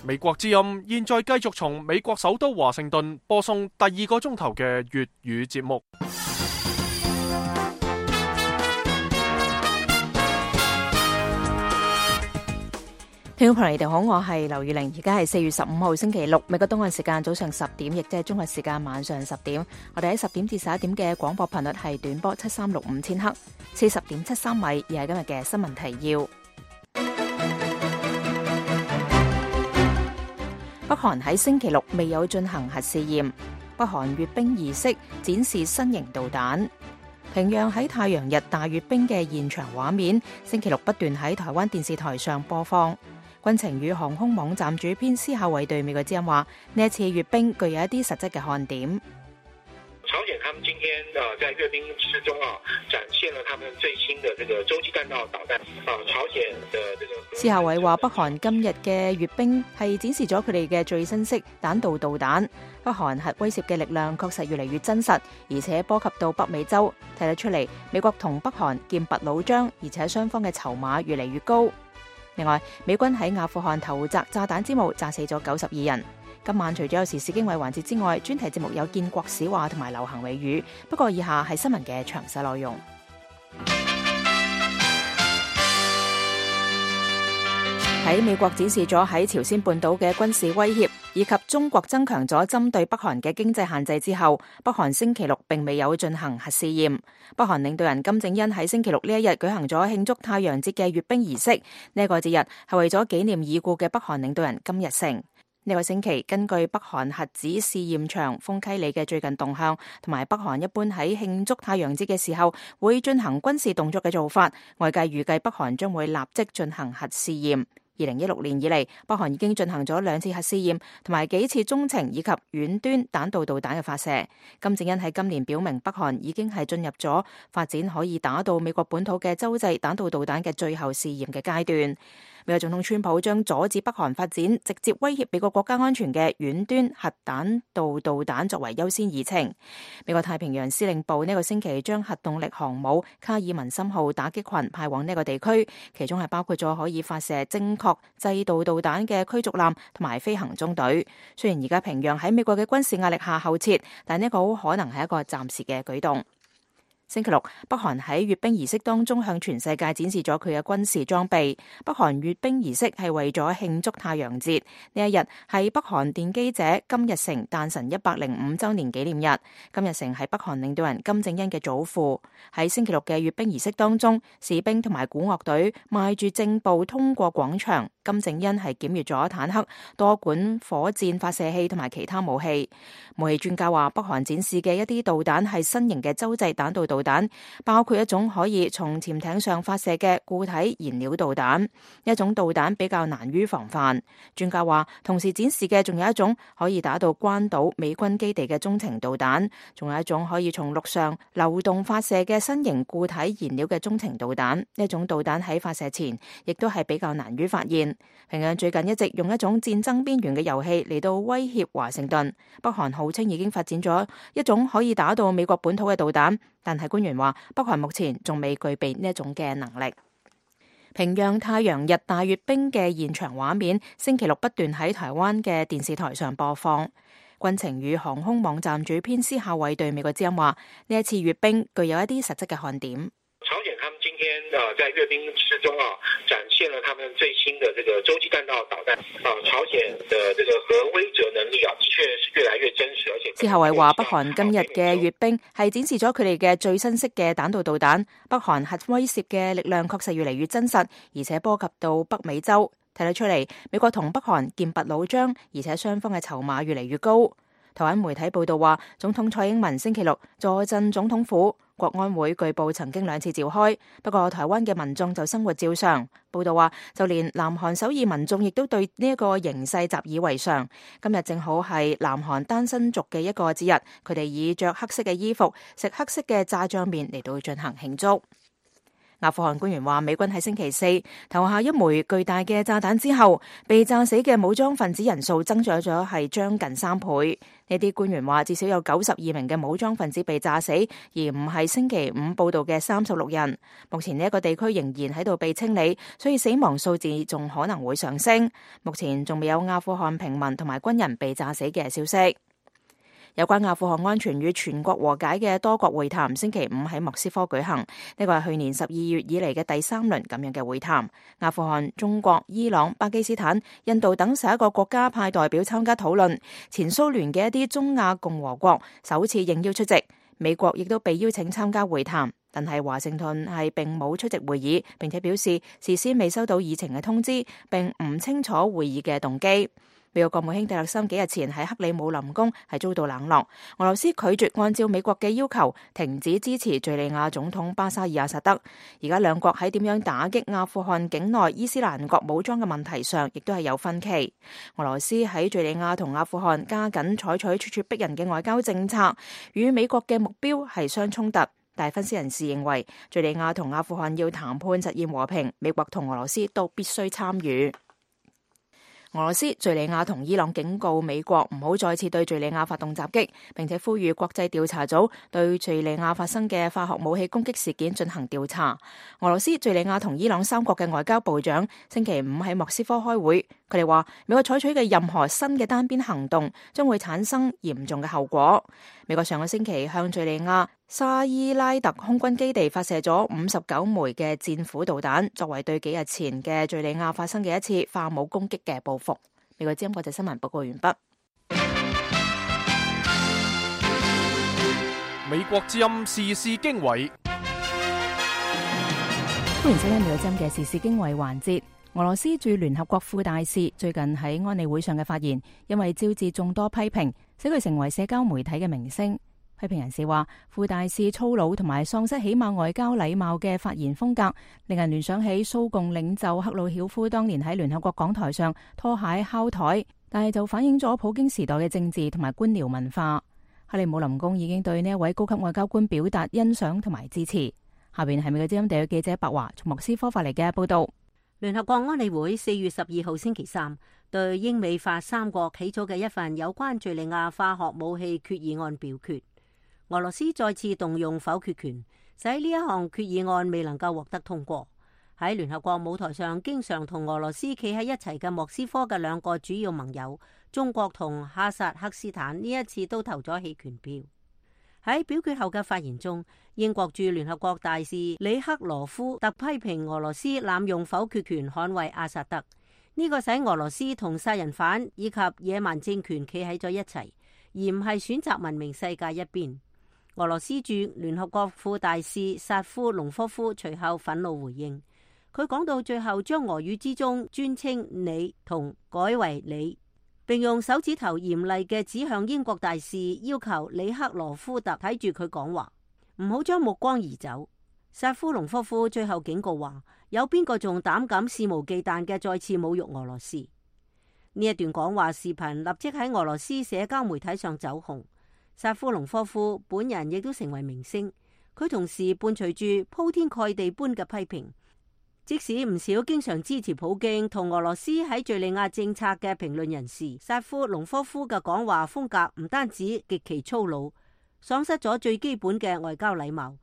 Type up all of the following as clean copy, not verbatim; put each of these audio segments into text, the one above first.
美國之音現在繼續從美國首都華盛頓播送第2個鐘頭嘅粵語節目。聽眾朋友，你哋好，我係劉宇玲，而家係4月15號星期六，美國東岸時間早上10點，亦即係中國時間晚上10點。我哋喺10點至11點嘅廣播頻率係短波7365千赫，40.73米，而係今日嘅新聞提要。北韓喺星期六未有進行核試驗，北韓閱兵儀式展示新型導彈。平壤喺太陽日大閱兵嘅現場畫面，星期六不斷喺台灣電視台上播放。軍情與航空網站主編施孝偉對美國之音話：呢一次閱兵具有一啲實質嘅看點。朝鮮他們今天在閱兵之中展現了他們最新的這個洲際彈道導彈。朝鮮的這個施孝偉話：北韓今日嘅閱兵係展示咗佢哋嘅最新式彈道導彈。北韓核威懾嘅力量確實越嚟越真實，而且波及到北美洲，睇得出嚟美國同北韓劍拔弩張，而且雙方嘅籌碼越嚟越高。另外，美軍喺阿富汗投擲炸彈之母，炸死咗92人。今晚除咗有時事經緯環節之外，專題節目有建國史話同埋流行俚語。不過以下係新聞嘅詳細內容。喺美國展示咗喺朝鮮半島嘅軍事威脅，以及中國增強咗針對北韓嘅經濟限制之後，北韓星期六並未有進行核試驗。北韓領導人金正恩喺星期六呢一日舉行咗慶祝太陽節嘅閱兵儀式。呢個節日係為咗紀念已故嘅北韓領導人金日成。呢個星期，根據北韓核子試驗場豐溪里嘅最近動向，同埋北韓一般喺慶祝太陽節嘅時候會進行軍事動作嘅做法，外界預計北韓將會立即進行核試驗。2016年以嚟，北韓已經進行咗2次核試驗，同埋幾次中程以及遠端彈道導彈嘅發射。金正恩喺今年表明，北韓已經係進入咗發展可以打到美國本土嘅洲際彈道導彈嘅最後試驗嘅階段。美國總統川普將阻止北韓發展直接威脅美國國家安全嘅遠端核彈道導彈作為優先議程。美國太平洋司令部呢個星期將核動力航母卡爾文森號打擊群派往呢個地區，其中係包括咗可以發射精確制導導彈嘅驅逐艦同埋飛行中隊。雖然而家平壤喺美國嘅軍事壓力下後撤，但呢個好可能係一個暫時嘅舉動。星期六，北韓喺閱兵儀式當中向全世界展示咗佢嘅軍事裝備。北韓閱兵儀式係為咗慶祝太陽節，呢一日係北韓奠基者金日成誕辰105週年紀念日。金日成係北韓領導人金正恩嘅祖父。喺星期六嘅閱兵儀式當中，士兵同埋鼓樂隊邁住正步通過廣場。金正恩係檢閱咗坦克、多管火箭發射器同埋其他武器。武器專家話，北韓展示嘅一啲導彈係新型嘅洲際彈道導彈，包括一種可以從潛艇上發射嘅固體燃料導彈。一種導彈比較難於防範。專家話，同時展示嘅仲有一種可以打到關島美軍基地嘅中程導彈，仲有一種可以從陸上流動發射嘅新型固體燃料嘅中程導彈。呢種導彈喺發射前亦都係比較難於發現。平壤最近一直用一種戰爭邊緣嘅遊戲嚟到威脅華盛頓。北韓號稱已經發展咗一種可以打到美國本土嘅導彈，但係官員話北韓目前仲未具備呢一種嘅能力。平壤太陽日大閱兵嘅現場畫面，星期六不斷喺台灣嘅電視台上播放。軍情與航空網站主編施孝偉對美國之音話：呢一次閱兵具有一啲實質嘅看點。朝鮮他們今天在閱兵之中展現了他們最新的這個洲際彈道導彈。朝鮮的這個核威懾能力的確是越來越真實，而且施孝偉話，北韓今日嘅閱兵係展示咗佢哋嘅最新式嘅彈道導彈。北韓核威懾嘅力量確實越嚟越真實，而且波及到北美洲，睇得出嚟美國同北韓劍拔弩張，而且雙方嘅籌碼越嚟越高。台灣媒體報道話，總統蔡英文星期六坐鎮總統府。國安會據報曾經2次召開，不過台灣嘅民眾就生活照常。報道話，就連南韓首爾民眾亦都對呢一個形勢習以為常。今日正好係南韓單身族嘅一個節日，佢哋以着黑色嘅衣服、食黑色嘅炸醬麵嚟到進行慶祝。阿富汗官員話，美軍喺星期四投下一枚巨大嘅炸彈之後，被炸死嘅武裝分子人數增長咗係將近3倍。呢啲官員話，至少有92名嘅武裝分子被炸死，而唔係星期五報道嘅36人。目前呢一個地區仍然喺度被清理，所以死亡數字仲可能會上升。目前仲未有阿富汗平民同埋軍人被炸死嘅消息。有關阿富汗安全與全國和解嘅多國會談，星期五喺莫斯科舉行。呢個係去年12月以嚟嘅第3輪咁樣嘅會談。阿富汗、中國、伊朗、巴基斯坦、印度等11個國家派代表參加討論。前蘇聯嘅一啲中亞共和國首次應邀出席，美國亦都被邀請參加會談，但係華盛頓係並冇出席會議，並且表示事先未收到議程嘅通知，並唔清楚會議嘅動機。美國國務卿蒂勒森幾日前喺克里姆林宮係遭到冷落，俄羅斯拒絕按照美國嘅要求停止支持敘利亞總統巴沙爾阿薩德。而家兩國喺點樣打擊阿富汗境內伊斯蘭國武裝嘅問題上，亦都係有分歧。俄羅斯喺敘利亞同阿富汗加緊採取咄咄逼人嘅外交政策，與美國嘅目標係相衝突。但係分析人士認為，敘利亞同阿富汗要談判實現和平，美國同俄羅斯都必須參與。俄羅斯、敘利亞同伊朗警告美國唔好再次對敘利亞發動襲擊，並且呼籲國際調查組對敘利亞發生嘅化學武器攻擊事件進行調查。俄羅斯、敘利亞同伊朗3國嘅外交部長星期五喺莫斯科開會，佢哋話美國採取嘅任何新嘅單邊行動將會產生嚴重嘅後果。美國上個星期向敘利亞沙伊拉特空軍基地發射咗59枚嘅戰斧導彈，作為對幾日前嘅敘利亞發生嘅一次化武攻擊嘅報復。美國之音國際新聞報告完畢。美國之音時事經緯，歡迎收聽美國之音嘅時事經緯環節。俄羅斯駐聯合國副大使最近喺安理會上嘅發言，因為招致眾多批評，使佢成為社交媒體嘅明星。批評人士話，副大使粗魯同埋喪失起碼外交禮貌嘅發言風格，令人聯想起蘇共領袖赫魯曉夫當年喺聯合國講台上拖鞋敲台，但係就反映咗普京時代嘅政治同埋官僚文化。克里姆林宮已經對呢一位高級外交官表達欣賞同埋支持。下邊係美國之音地嘅記者白華從莫斯科發嚟嘅報道。聯合國安理會4月12號星期三對英美法3國起草嘅一份有關敘利亞化學武器決議案表決。俄羅斯再次動用否決權，使呢一項決議案未能夠獲得通過。喺聯合國舞台上經常同俄羅斯企喺一齊嘅莫斯科嘅2個主要盟友中國同哈薩克斯坦呢一次都投咗棄權票。喺表決後嘅發言中，英國駐聯合國大使里克羅夫特批評俄羅斯濫用否決權捍衛阿薩德，呢個使俄羅斯同殺人犯以及野蠻政權企喺咗一齊，而唔係選擇文明世界一邊。俄羅斯駐聯合國副大使薩夫隆科夫隨後憤怒回應，佢講到最後將俄語之中尊稱你同改為你，並用手指頭嚴厲嘅指向英國大使，要求里克羅夫特睇住佢講話，唔好將目光移走。薩夫隆科夫最後警告話，有邊個仲膽敢肆無忌憚嘅再次侮辱俄羅斯？呢一段講話視頻立即喺俄羅斯社交媒體上走紅。薩夫隆科夫本人亦都成為明星，佢同時伴隨住鋪天蓋地般嘅批評，即使唔少經常支持普京同俄羅斯喺敘利亞政策嘅評論人士，薩夫隆科夫嘅講話風格唔單止極其粗魯，喪失咗最基本嘅外交禮貌，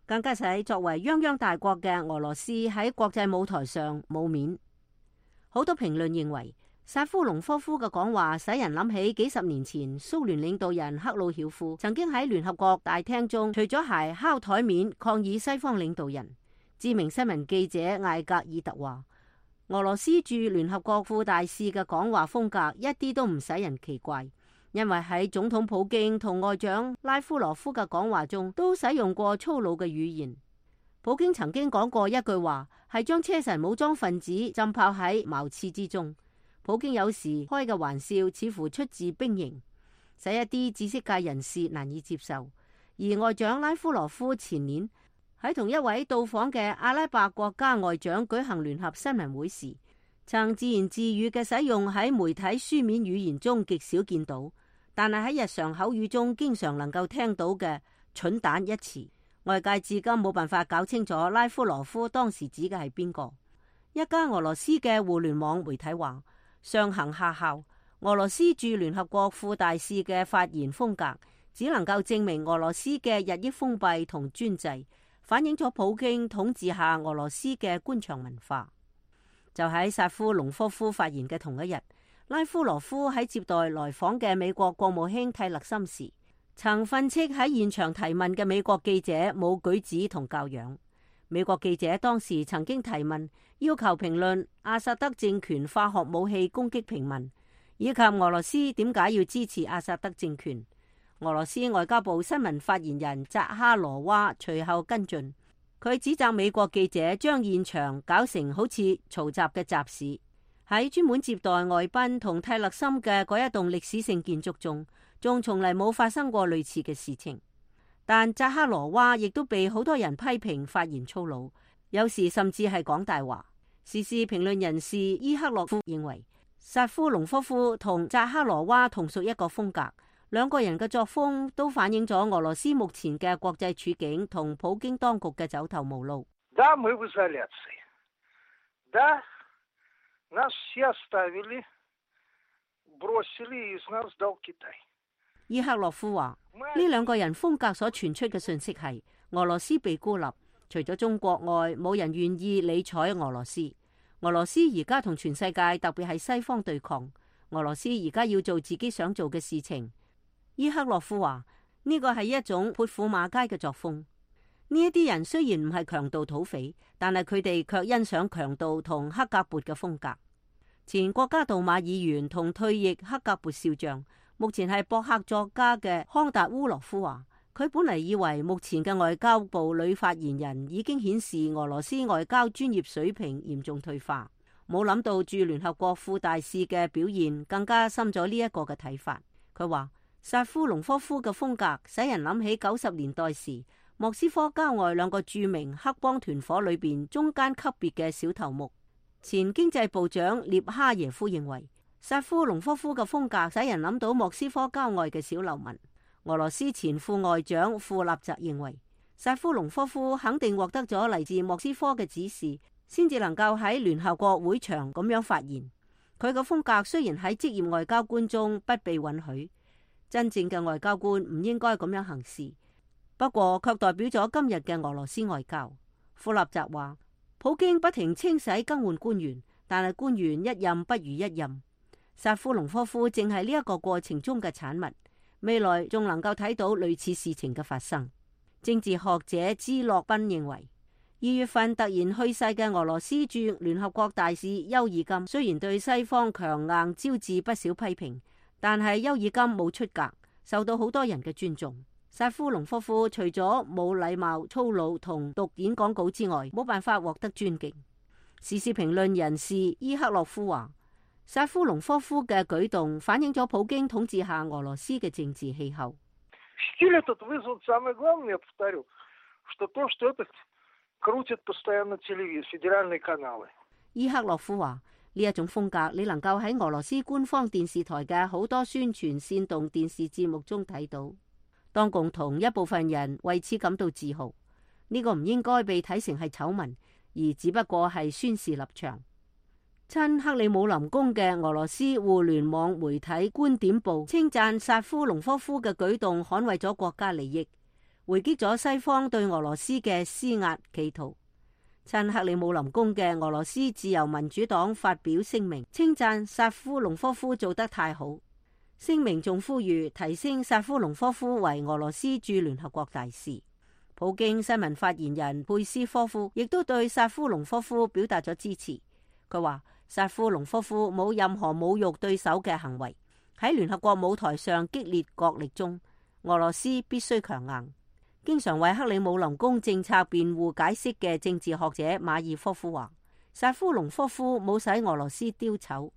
更加使作為泱泱大國嘅俄羅斯喺國際舞台上冇面。好多評論認為，薩夫隆科夫嘅講話使人諗起幾十年前蘇聯領導人赫魯曉夫曾經喺聯合國大廳中除咗鞋敲台面抗議西方領導人。知名新聞記者艾格爾特話，俄羅斯駐聯合國副大使嘅講話風格一啲都唔使人奇怪，因為喺總統普京同外長拉夫羅夫嘅講話中都使用過粗魯嘅語言。普京曾經講過一句話，係將車臣武裝分子浸泡喺茅廁之中。普京有時開嘅玩笑似乎出自兵營，使一啲知識界人士難以接受。而外長拉夫羅夫前年喺同一位到訪嘅阿拉伯國家外長舉行聯合新聞會時，曾自言自語嘅使用喺媒體書面語言中極少見到，但係喺日常口語中經常能夠聽到嘅蠢蛋一詞，外界至今冇辦法搞清楚拉夫羅夫當時指嘅係邊個。一家俄羅斯嘅互聯網媒體話，上行下效，俄羅斯駐聯合國副大使嘅發言風格只能夠證明俄羅斯嘅日益封閉同專制，反映咗普京統治下俄羅斯嘅官場文化。就喺薩夫隆科夫發言嘅同一日，拉夫羅夫喺接待來訪嘅美國國務卿蒂勒森時，曾訓斥喺現場提問嘅美國記者冇舉止同教養。美國記者當時曾經提問，要求評論阿薩德政權化學武器攻擊平民，以及俄羅斯點解要支持阿薩德政權。俄羅斯外交部新聞發言人扎哈羅娃隨後跟進，佢指責美國記者將現場搞成好似嘈雜嘅集市。喺專門接待外賓同蒂勒森嘅嗰一棟歷史性建築中，仲從嚟冇發生過類似嘅事情。但扎哈羅娃亦都被好多人批評發言粗魯，有時甚至係講大話。時事評論人士伊克洛夫認為，薩夫隆科夫同扎哈羅娃同屬一個風格，兩個人嘅作風都反映咗俄羅斯目前嘅國際處境同普京當局嘅走投無路。伊克洛夫話，呢兩個人風格所傳出嘅信息係俄羅斯被孤立，除咗中國外，冇人願意理睬俄羅斯。俄羅斯而家同全世界，特別係西方對抗。俄羅斯而家要做自己想做嘅事情。伊克洛夫話，呢個係一種潑婦罵街嘅作風。呢一啲人雖然唔係強盜土匪，但係佢哋卻欣賞強盜同黑格勃嘅風格。前國家杜馬議員同退役黑格勃少將，目前係博客作家嘅康達烏羅夫話，佢本嚟以為目前嘅外交部女發言人已經顯示俄羅斯外交專業水平嚴重退化，冇諗到駐聯合國副大使嘅表現更加深咗呢一個嘅睇法。佢話，薩夫隆科夫嘅風格使人諗起90年代時莫斯科郊外兩個著名黑幫團伙裏邊中間級別嘅小頭目。前經濟部長列哈耶夫認為，薩夫隆科夫嘅風格使人諗到莫斯科郊外嘅小流民。俄羅斯前副外長庫納澤認為，薩夫隆科夫肯定獲得咗嚟自莫斯科嘅指示，先至能夠喺聯合國會場咁樣發言。佢嘅風格雖然喺職業外交官中不被允許，真正嘅外交官唔應該咁樣行事，不過卻代表咗今日嘅俄羅斯外交。庫納澤話，普京不停清洗更換官員，但係官員一任不如一任。薩夫隆科夫正係呢一個過程中嘅產物，未來仲能夠睇到類似事情嘅發生。政治學者茲洛賓認為，2月份突然去世嘅俄羅斯駐聯合國大使丘爾金，雖然對西方強硬招致不少批評，但係丘爾金冇出格，受到好多人嘅尊重。薩夫隆科夫除咗冇禮貌、粗魯同讀演講稿之外，冇辦法獲得尊敬。時事評論人士伊克洛夫話，薩夫隆科夫嘅舉動反映咗普京統治下俄羅斯嘅政治氣候。伊克洛夫話，呢一種風格你能夠喺俄羅斯官方電視台嘅好多宣傳煽動電視節目中睇到。當共同一部分人為此感到自豪，呢個唔應該被睇成係醜聞，而只不過係宣示立場。親克里姆林宮嘅俄羅斯互聯網媒體觀點報稱讚薩夫隆科夫嘅舉動捍衛咗國家利益，回擊咗西方對俄羅斯嘅施壓企圖。親克里姆林宮嘅俄羅斯自由民主黨發表聲明，稱讚薩夫隆科夫做得太好。聲明仲呼籲提升薩夫隆科夫為俄羅斯駐聯合國大使。普京新聞發言人佩斯科夫亦都對薩夫隆科夫表達咗支持。佢話，薩夫隆科夫冇任何侮辱對手嘅行為。喺聯合國舞台上激烈角力中，俄羅斯必須強硬。經常為克里姆林宮政策辯護解釋嘅政治學者馬爾科夫話，薩夫隆科夫冇使俄羅斯丟醜。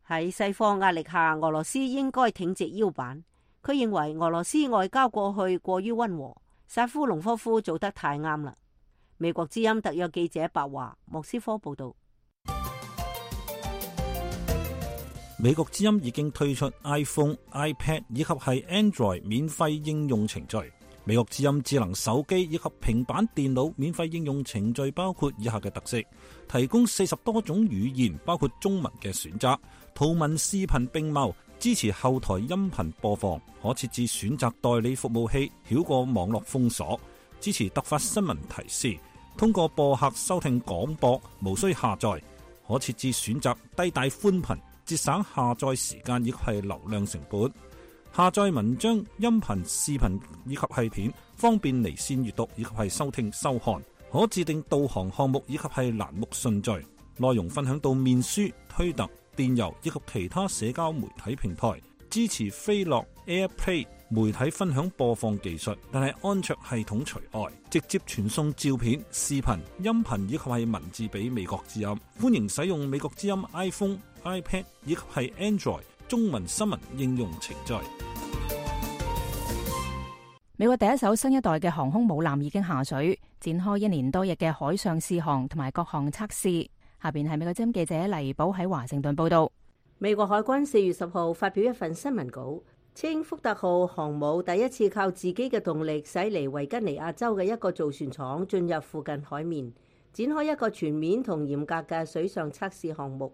喺西方壓力下，俄羅斯應該挺直腰板。佢認為俄羅斯外交過去過於溫和，薩夫隆科夫做得太啱啦。美國之音特約記者白華，莫斯科報道。美國之音已經推出 iPhone、iPad 以及係 Android 免費應用程序，美國之音智能手機以及平板電腦免費應用程序包括以下嘅特色：提供40多種語言，包括中文嘅選擇，圖文視頻並茂，支持後台音頻播放，可設置選擇代理服務器，繞過網絡封鎖，支持突發新聞提示，通過播客收聽廣播，無需下載，可設置選擇低帶寬頻，節省下載時間以及係流量成本。下載文章、音頻、視頻以及係片，方便離線閱讀以及係收聽收看。可自定導航項目以及係欄目順序，內容分享到面書、推特、電郵以及其他社交媒體平台。支持飛樂 AirPlay 媒體分享播放技術，但係安卓系統除外。直接傳送照片、視頻、音頻以及係文字俾美國之音。歡迎使用美國之音 iPhone、iPad 以及係 Android 中文新聞應用程序。美國第一艘新一代嘅航空母艦已經下水，展開1年多日嘅海上試航同埋各項測試。下邊係美國之音記者黎寶喺華盛頓報道。美國海軍4月10號發表一份新聞稿，稱福特號航母第一次靠自己嘅動力駛離維吉尼亞州嘅一個造船廠，進入附近海面，展開一個全面同嚴格嘅水上測試項目。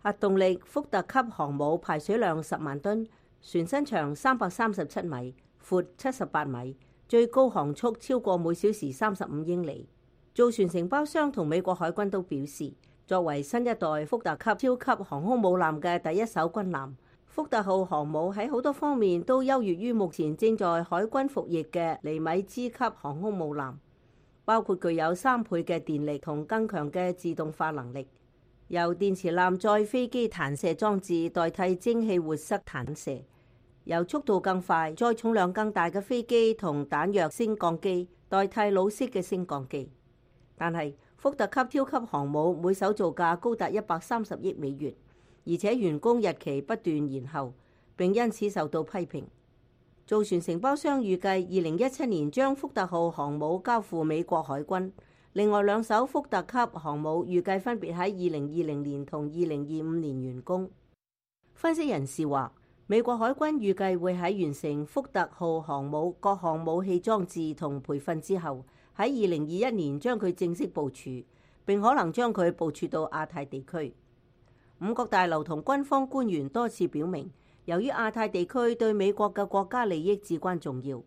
核動力福特級航母排水量10萬噸，船身長337米，闊78米，最高航速超過每小時35英里。造船承包商同美國海軍都表示，作為新一代福特級超級航空母艦嘅第一艘軍艦，福特號航母喺好多方面都優越於目前正在海軍服役嘅尼米茲級航空母艦，包括具有3倍嘅電力同更強嘅自動化能力，由電磁艦載飛機彈射裝置代替蒸汽活塞彈射，由速度更快、載重量更大嘅飛機同彈藥升降機代替老式嘅升降機。但係福特級超級航母每艘造價高達130億美元，而且完工日期不斷延後，並因此受到批評。造船承包商預計2017年將福特號航母交付美國海軍，另外2艘福特級航母預計分別喺2020年同2025年完工。分析人士話，美國海軍預計會喺完成福特號航母各項武器裝置同培訓之後，喺2021年將佢正式部署，並可能將佢部署到亞太地區。五角大樓同軍方官員多次表明，由於亞太地區對美國嘅國家利益至關重要，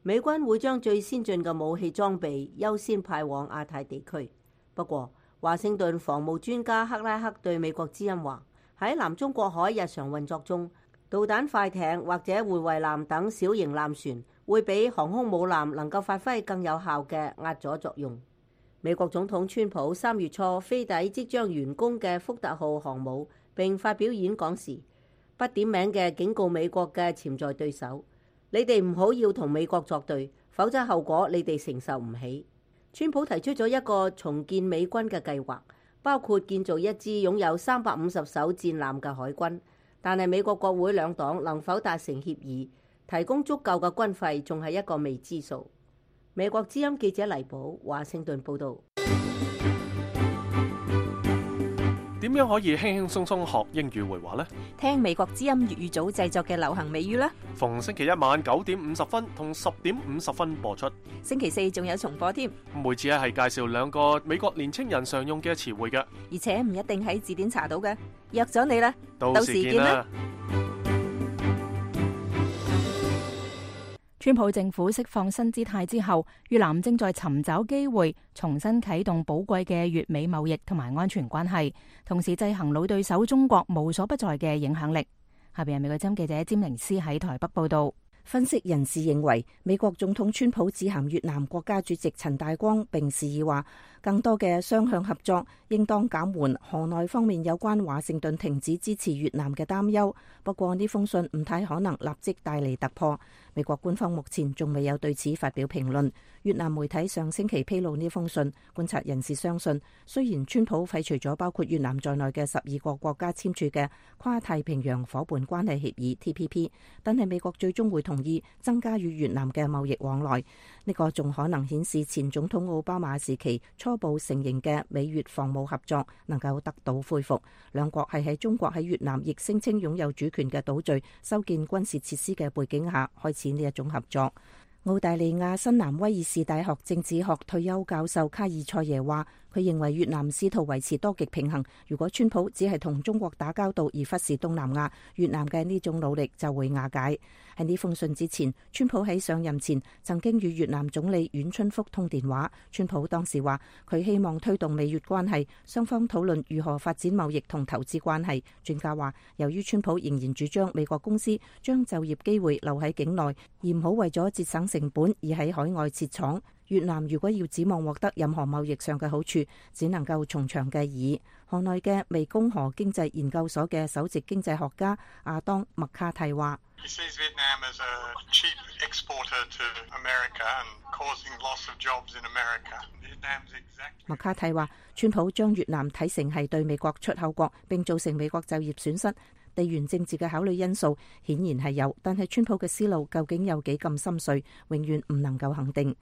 美軍會將最先進嘅武器裝備優先派往亞太地區。不過，華盛頓防務專家克拉克對美國之音話，喺南中國海日常運作中，導彈快艇或者護衛艦等小型艦船會比航空母艦能夠發揮更有效嘅壓阻作用。美國總統川普3月初飛抵即將完工嘅福特號航母，並發表演講時，不點名嘅警告美國嘅潛在對手：你哋唔好要同美國作對，否則後果你哋承受唔起。川普提出咗一個重建美軍嘅計劃，包括建造一支擁有350艘戰艦嘅海軍。但係美國國會兩黨能否達成協議，提供足夠嘅軍費，仲係一個未知數。美國之音記者黎寶，華盛頓報導。點樣可以輕輕鬆鬆學英語會話呢？聽美國之音粵語組製作嘅流行美語啦。逢星期一晚9點50分同10點50分播出。星期4仲有重播添。每次係介紹2個美國年青人常用嘅詞彙嘅，而且唔一定喺字典查到嘅。約咗你啦，到時見啦。川普政府釋放新姿態之後，越南正在尋找機會重新啟動寶貴嘅越美貿易同埋安全關係，同時制衡老對手中國無所不在嘅影響力。下邊係美國之音記者詹寧斯喺台北報道。分析人士認為，美國總統川普致函越南國家主席陳大光，並示意話，更多嘅雙向合作應當減緩河內方面有關華盛頓停止支持越南嘅擔憂。不過呢封信唔太可能立即帶嚟突破。美國官方目前仲未有對此發表評論。越南媒體上星期披露呢封信，觀察人士相信，雖然川普廢除咗包括越南在內嘅12個國家簽署嘅跨太平洋夥伴關係協議 TPP， 但係美國最終會同意增加與越南嘅貿易往來。呢個仲可能顯示前總統奧巴馬時期初步承認嘅美越防務合作能夠得到恢復。兩國係喺中國喺越南亦聲稱擁有主權嘅島嶼修建軍事設施嘅背景下開始呢一種合作。澳大利亞新南威爾士大學政治學退休教授卡爾塞耶話，佢認為越南試圖維持多極平衡，如果川普只係同中國打交道而忽視東南亞，越南嘅呢種努力就會瓦解。喺呢封信之前，川普喺上任前曾經與越南總理阮春福通電話。川普當時話佢希望推動美越關係，雙方討論如何發展貿易同投資關係。專家話，由於川普仍然主張美國公司將就業機會留喺境內，而唔好為咗節省成本而喺海外設廠，越南如果要指望獲得任何貿易上嘅好處，只能夠從長計議。河內嘅湄公河經濟研究所嘅首席經濟學家阿當麥卡蒂話，麥卡蒂話，川普將越南睇成係對美國出口國，並造成美國就業損失。地緣政治嘅考慮因素顯然係有，但係川普嘅思路究竟有幾咁深邃，永遠唔能夠肯定。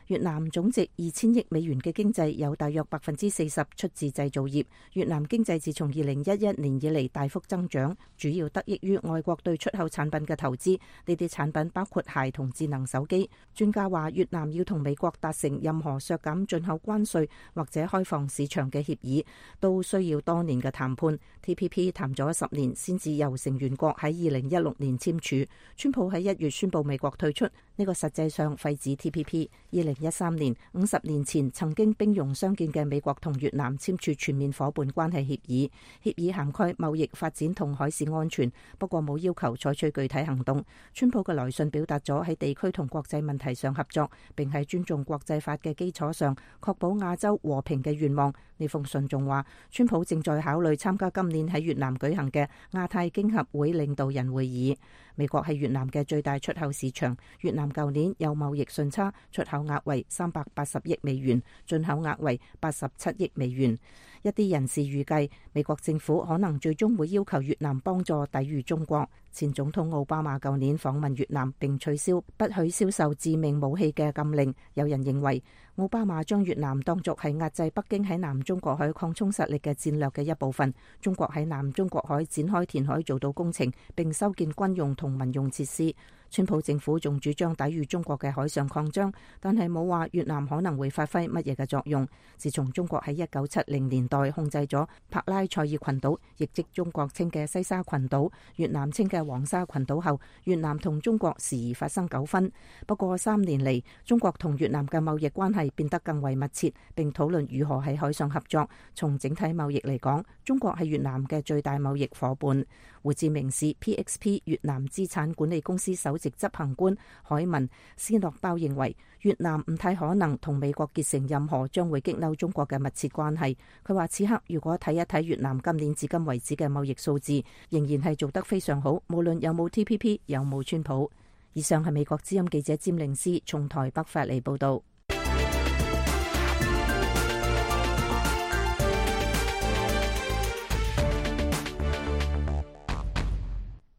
越南總值2000億美元嘅經濟有大約40%出自製造業。越南經濟自從2011年以嚟大幅增長，主要得益於外國對出口產品嘅投資。呢啲產品包括鞋同智能手機。專家話，越南要同美國達成任何削減進口關稅或者開放市場嘅協議，都需要多年嘅談判。TPP 談咗10年先至由成員國喺2016年簽署。川普喺1月宣布美國退出，呢個實際上廢止 TPP。2013年，50年前曾經兵戎相見嘅美國同越南簽署全面伙伴關係協議，協議涵蓋貿易發展同海事安全，不過冇要求採取具體行動。川普嘅來信表達咗喺地區同國際問題上合作，並喺尊重國際法嘅基礎上確保亞洲和平嘅願望。呢封信仲話，川普正在考慮參加今年喺越南舉行嘅亞太經合會領導人會議。美國係越南嘅最大出口市場，越南舊年有貿易順差，出口額為380億美元，進口額為87億美元。一啲人士預計，美國政府可能最終會要求越南幫助抵禦中國。前總統奧巴馬舊年訪問越南並取消不許銷售致命武器嘅禁令。有人認為，奧巴馬將越南當作係壓制北京喺南中國海擴充實力嘅戰略嘅一部分。中國喺南中國海展開填海造島工程，並修建軍用同民用設施。川普政府仲主張抵禦中國嘅海上擴張，但係冇話越南可能會發揮乜嘢嘅作用。自從中國喺1970年代控制咗帕拉塞爾群島，亦即中國稱嘅西沙群島，越南稱嘅黃沙群島後，越南同中國時而發生糾紛。不過3年嚟，中國同越南嘅貿易關係變得更為密切，並討論如何喺海上合作。從整體貿易嚟講，中國係越南嘅最大貿易夥伴。胡志明市 PXP 越南資產管理公司首席執行官海文斯諾包認為，越南唔太可能同美國結成任何將會激嬲中國嘅密切關係。佢話此刻如果睇一睇越南今年至今為止嘅貿易數字，仍然係做得非常好，無論有冇 TPP 有冇川普。以上係美國之音記者詹寧斯從台北發嚟報道。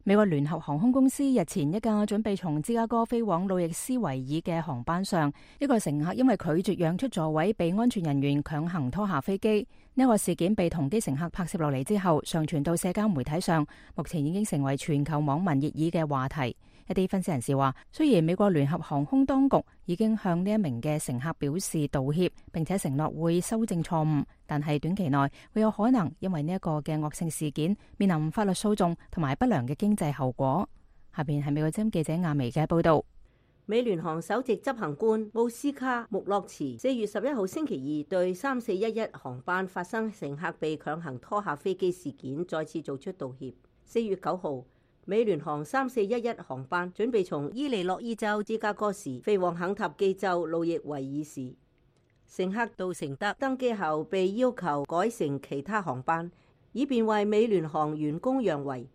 美國聯合航空公司日前一架準備從芝加哥飛往路易斯維爾嘅航班上，一個乘客因為拒絕讓出座位，被安全人員強行拖下飛機。呢個事件被同機乘客拍攝落嚟之後，上傳到社交媒體上，目前已經成為全球網民熱議嘅話題。一啲分析人士話，雖然美國聯合航空當局已經向呢一名嘅乘客表示道歉，並且承諾會修正錯誤，但係短期內會有可能因為呢一個嘅惡性事件面臨法律訴訟同埋不良嘅經濟後果。下邊係美國之音記者亞薇嘅報道。美聯航首席執行官奧斯卡穆洛茨4月11號星期二對3411航班發生乘客被強行拖下飛機事件再次做出道歉。4月9號，美聯航3411航班準備從伊利諾伊州芝加哥時飛往肯塔基州路易維爾市，乘客杜承德登機後被要求改乘其他航班，以便為美聯航員工讓位。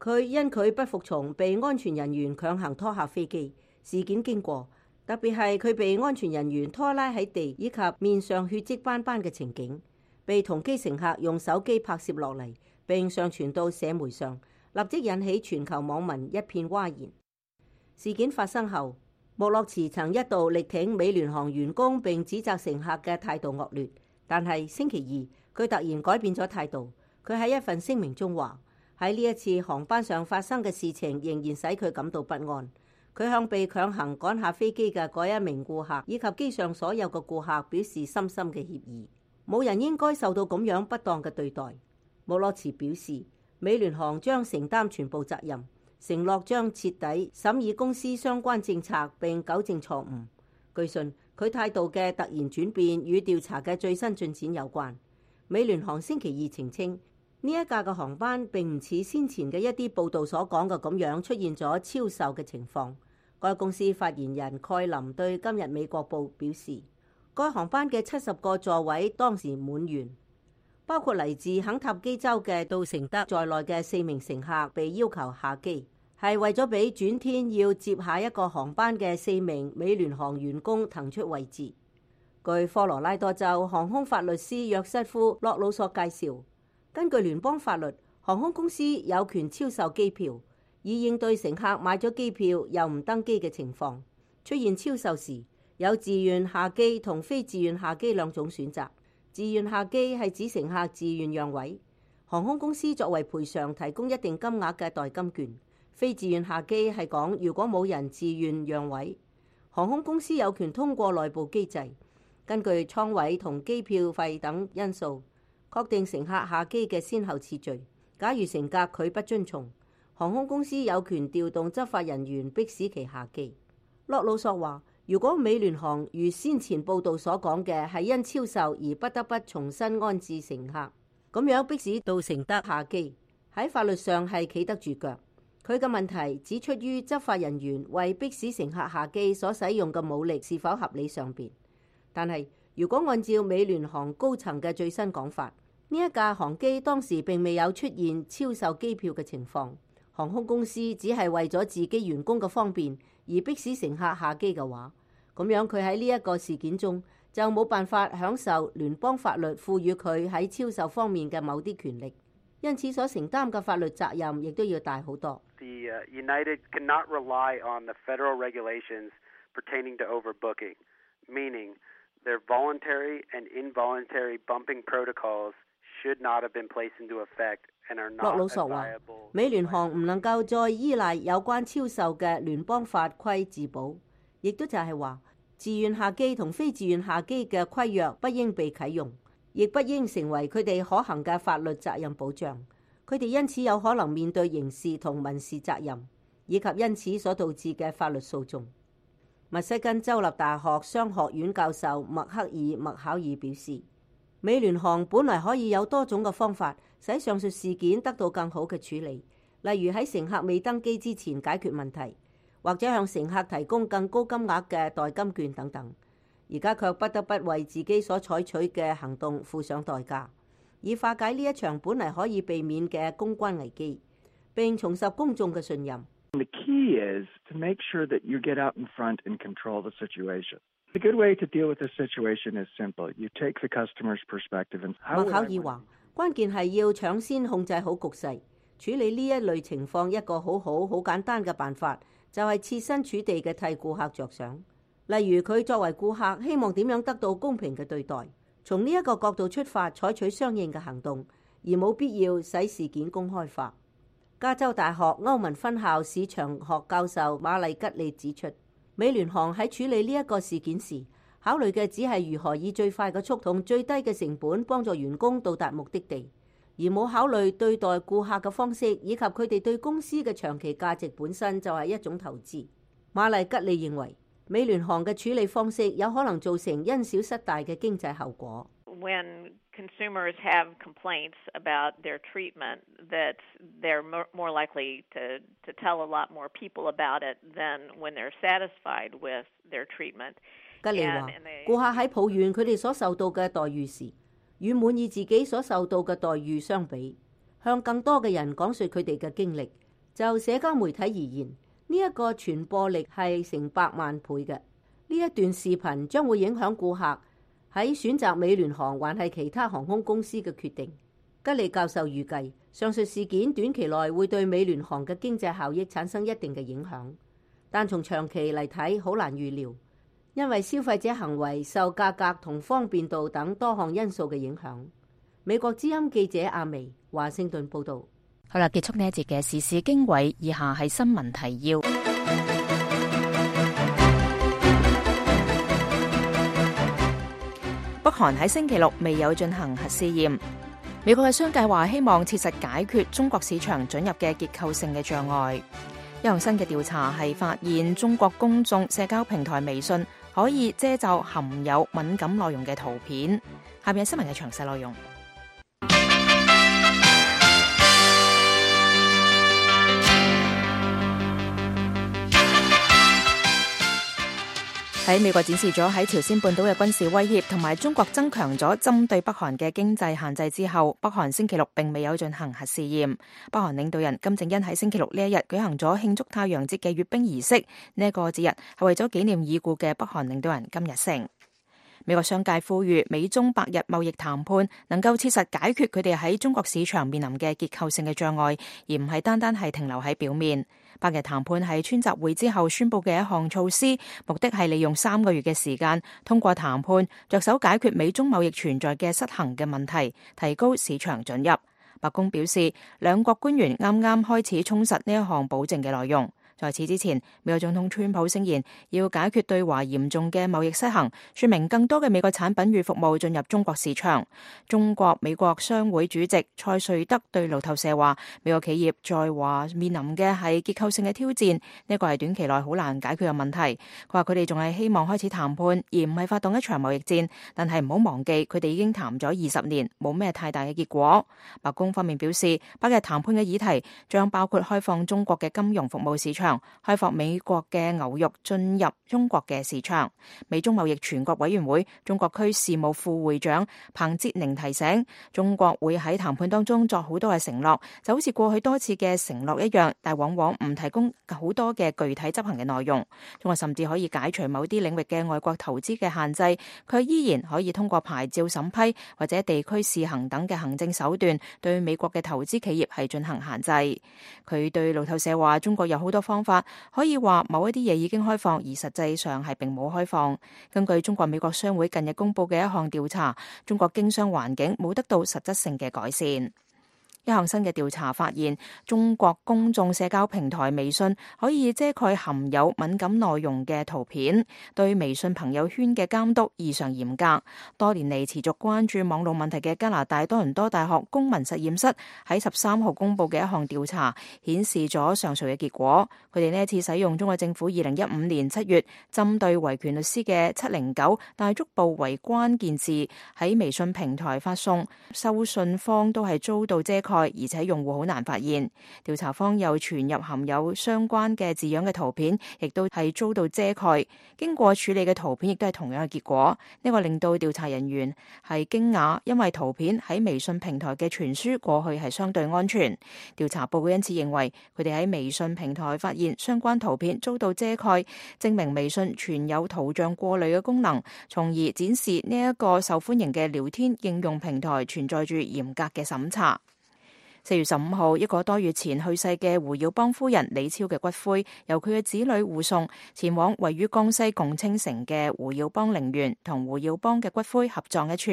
佢因佢不服從被安全人員強行拖下飛機。事件經過，特別係佢被安全人員拖拉喺地以及面上血跡斑斑嘅情景，被同機乘客用手機拍攝落嚟並上傳到社媒上，立即引起全球網民一片譁然。事件發生後，穆洛茨曾一度力挺美聯航員工並指責乘客嘅態度惡劣，但係星期二佢突然改變咗態度。佢喺一份聲明中話，喺呢一次航班上發生嘅事情仍然使佢感到不安。佢向被強行趕下飛機嘅嗰一名顧客以及機上所有嘅顧客表示深深嘅歉意。冇人應該受到咁樣不當嘅對待。莫洛茨表示，美聯航將承擔全部責任，承諾將徹底審議公司相關政策並糾正錯誤。據信，佢態度嘅突然轉變與調查嘅最新進展有關。美聯航星期二澄清，呢一架嘅航班並唔似先前嘅一啲報道所講嘅咁樣出現咗超售嘅情況。該公司發言人蓋林對今日美國報表示，該航班嘅70個座位當時滿員，包括嚟自肯塔基州嘅杜成德在內嘅4名乘客被要求下機，係為咗俾轉天要接下一個航班嘅4名美聯航員工騰出位置。據科羅拉多州航空法律師約瑟夫洛魯索介紹，根據聯邦法律，航空公司有權超售機票，以應對乘客買咗機票又唔登機嘅情況。出現超售時，有自願下機同非自願下機兩種選擇。自願下機係指乘客自願讓位，航空公司作為賠償提供一定金額嘅代金券。非自願下機係講如果冇人自願讓位，航空公司有權通過內部機制，根據艙位同機票費等因素，確定乘客下機嘅先後次序。假如乘客拒不遵從，航空公司有權調動執法人員迫使其下機。洛魯索話，如果美聯航如先前報道所講嘅係因超售而不得不重新安置乘客，咁樣迫使杜成德下機，喺法律上係企得住腳。佢嘅問題只出於執法人員為迫使乘客下機所使用嘅武力是否合理上邊。但係如果按照美聯航高層嘅最新講法，呢一架航機當時並未有出現超售機票嘅情況。航空公司只係為咗自己員工嘅方便而迫使乘客下機嘅話，咁樣佢喺呢一個事件中就冇辦法享受聯邦法律賦予佢喺超售方面嘅某啲權力，因此所承擔嘅法律責任亦都要大好多。The United cannot rely on the federal regulations pertaining to overbooking, meaning their voluntary and involuntary bumping protocols should not have been placed into effect and are not viable. 洛魯索話，美聯航唔能夠再依賴有關超售嘅聯邦法規自保，亦都就係話，自願下機同非自願下機嘅規約不應被啟用，亦不應成為佢哋可行嘅法律責任保障。佢哋因此有可能面對刑事同民事責任，以及因此所導致嘅法律訴訟。密西根州立大學商學院教授麥克爾麥考爾表示，美聯航本來可以有多種嘅方法使上述事件得到更好嘅處理，例如喺乘客未登機之前解決問題，或者向乘客提供更高金額嘅代金券等等。而家卻不得不為自己所採取嘅行動付上代價，以化解呢一場本嚟可以避免嘅公關危機，並重拾公眾嘅信任。The key is to make sure that you get out in front and control the situation. A good way to deal with this situation is simple. You take the customer's perspective and 麥考爾話，關鍵係要搶先控制好局勢，處理呢一類情況一個好簡單嘅辦法，就係設身處地嘅替顧客着想。例如佢作為顧客，希望點樣得到公平嘅對待，從呢一個角度出發，採取相應嘅行動，而冇必要使事件公開化。加州大學歐文分校市場學教授馬麗吉利指出，美聯航喺處理呢一個事件時，考慮嘅只係如何以最快嘅速度、最低嘅成本幫助員工到達目的地，而冇考慮對待顧客嘅方式，以及佢哋對公司嘅長期價值本身就係一種投資。馬麗吉利認為，美聯航嘅處理方式有可能造成因小失大嘅經濟後果。When consumers have complaints about their treatment, that they're more likely to tell a lot more people about it than when they're satisfied with their treatment. 吉利話，顧客喺抱怨佢哋所受到嘅待遇時，與滿意自己所受到嘅待遇相比，向更多嘅人講述佢哋嘅經歷。就社交媒體而言，呢一個傳播力係成百萬倍嘅。呢一段視頻將會影響顧客喺選擇美聯航還係其他航空公司嘅決定。吉利教授預計，上述事件短期內會對美聯航嘅經濟效益產生一定嘅影響，但從長期嚟睇好難預料，因為消費者行為受價格同方便度等多項因素嘅影響。美國之音記者阿薇華盛頓報導。好啦，結束呢一節嘅時事經緯，以下係新聞提要。韓喺星期六未有進行核試驗。美國嘅商界話希望切實解決中國市場准入嘅結構性嘅障礙。一項新嘅調查係發現中國公眾社交平台微信可以遮罩含有敏感內容嘅圖片。下面係新聞嘅詳細內容。喺美國展示咗喺朝鮮半島嘅軍事威脅同埋中國增強咗針對北韓嘅經濟限制之後，北韓星期六並未有進行核試驗。北韓領導人金正恩喺星期六呢一日舉行咗慶祝太陽節嘅閱兵儀式，呢一個節日係為咗紀念已故嘅北韓領導人金日成。美國商界呼籲美中百日貿易談判能夠切實解決佢哋喺中國市場面臨嘅結構性嘅障礙，而唔係單單係停留喺表面。百日談判係川習會之後宣布嘅一項措施，目的係利用3個月嘅時間，通過談判着手解決美中貿易存在嘅失衡嘅問題，提高市場准入。白宮表示，兩國官員啱啱開始充實呢一項保證嘅內容。在此之前，美國總統川普聲言要解決對華嚴重嘅貿易失衡，說明更多嘅美國產品與服務進入中國市場。中國美國商會主席蔡瑞德對路透社話，美國企業在華面臨嘅係結構性嘅挑戰，呢個係短期內好難解決嘅問題。佢話佢哋仲係希望開始談判，而唔係發動一場貿易戰，但係唔好忘記佢哋已經談咗20年，冇咩太大嘅結果。白宮方面表示，百日談判嘅議題將包括開放中國嘅金融服務市場，開放美國嘅牛肉進入中國嘅市場。美中貿易全國委員會中國區事務副會長彭捷寧提醒，中國會喺談判當中作好多嘅承諾，就好似過去多次嘅承諾一樣，但往往唔提供好多嘅具體執行嘅內容。中國甚至可以解除某啲領域嘅外國投資嘅限制，佢依然可以通過牌照審批或者地區試行等嘅行政手段，對美國嘅投資企業係進行限制。佢對路透社話，中國有好多方法可以話某一啲嘢已經開放，而實際上係並冇開放。根據中國美國商會近日公布嘅一項調查，中國經商環境冇得到實質性嘅改善。一項新嘅調查發現，中國公眾社交平台微信可以遮蓋含有敏感內容嘅圖片，對微信朋友圈嘅監督異常嚴格。多年嚟持續關注網絡問題嘅加拿大多倫多大學公民實驗室喺13號公布嘅一項調查顯示咗上述嘅結果。佢哋呢一次使用中國政府2015年7月針對維權律師嘅709大足部為關鍵字喺微信平台發送，收信方都係遭到遮蓋，而且用戶好難發現。調查方又傳入含有相關嘅字樣嘅圖片，亦都係遭到遮蓋。經過處理嘅圖片亦都係同樣嘅結果。呢個令到調查人員係驚訝，因為圖片喺微信平台嘅傳輸過去係相對安全。調查報告因此認為，佢哋喺微信平台發現相關圖片遭到遮蓋，證明微信存有圖像過濾嘅功能，從而展示呢一個受歡迎嘅聊天應用平台存在住嚴格嘅審查。4月15號，一個多月前去世嘅胡耀邦夫人李超嘅骨灰，由佢嘅子女護送前往位於江西共青城嘅胡耀邦陵園，同胡耀邦嘅骨灰合葬一處。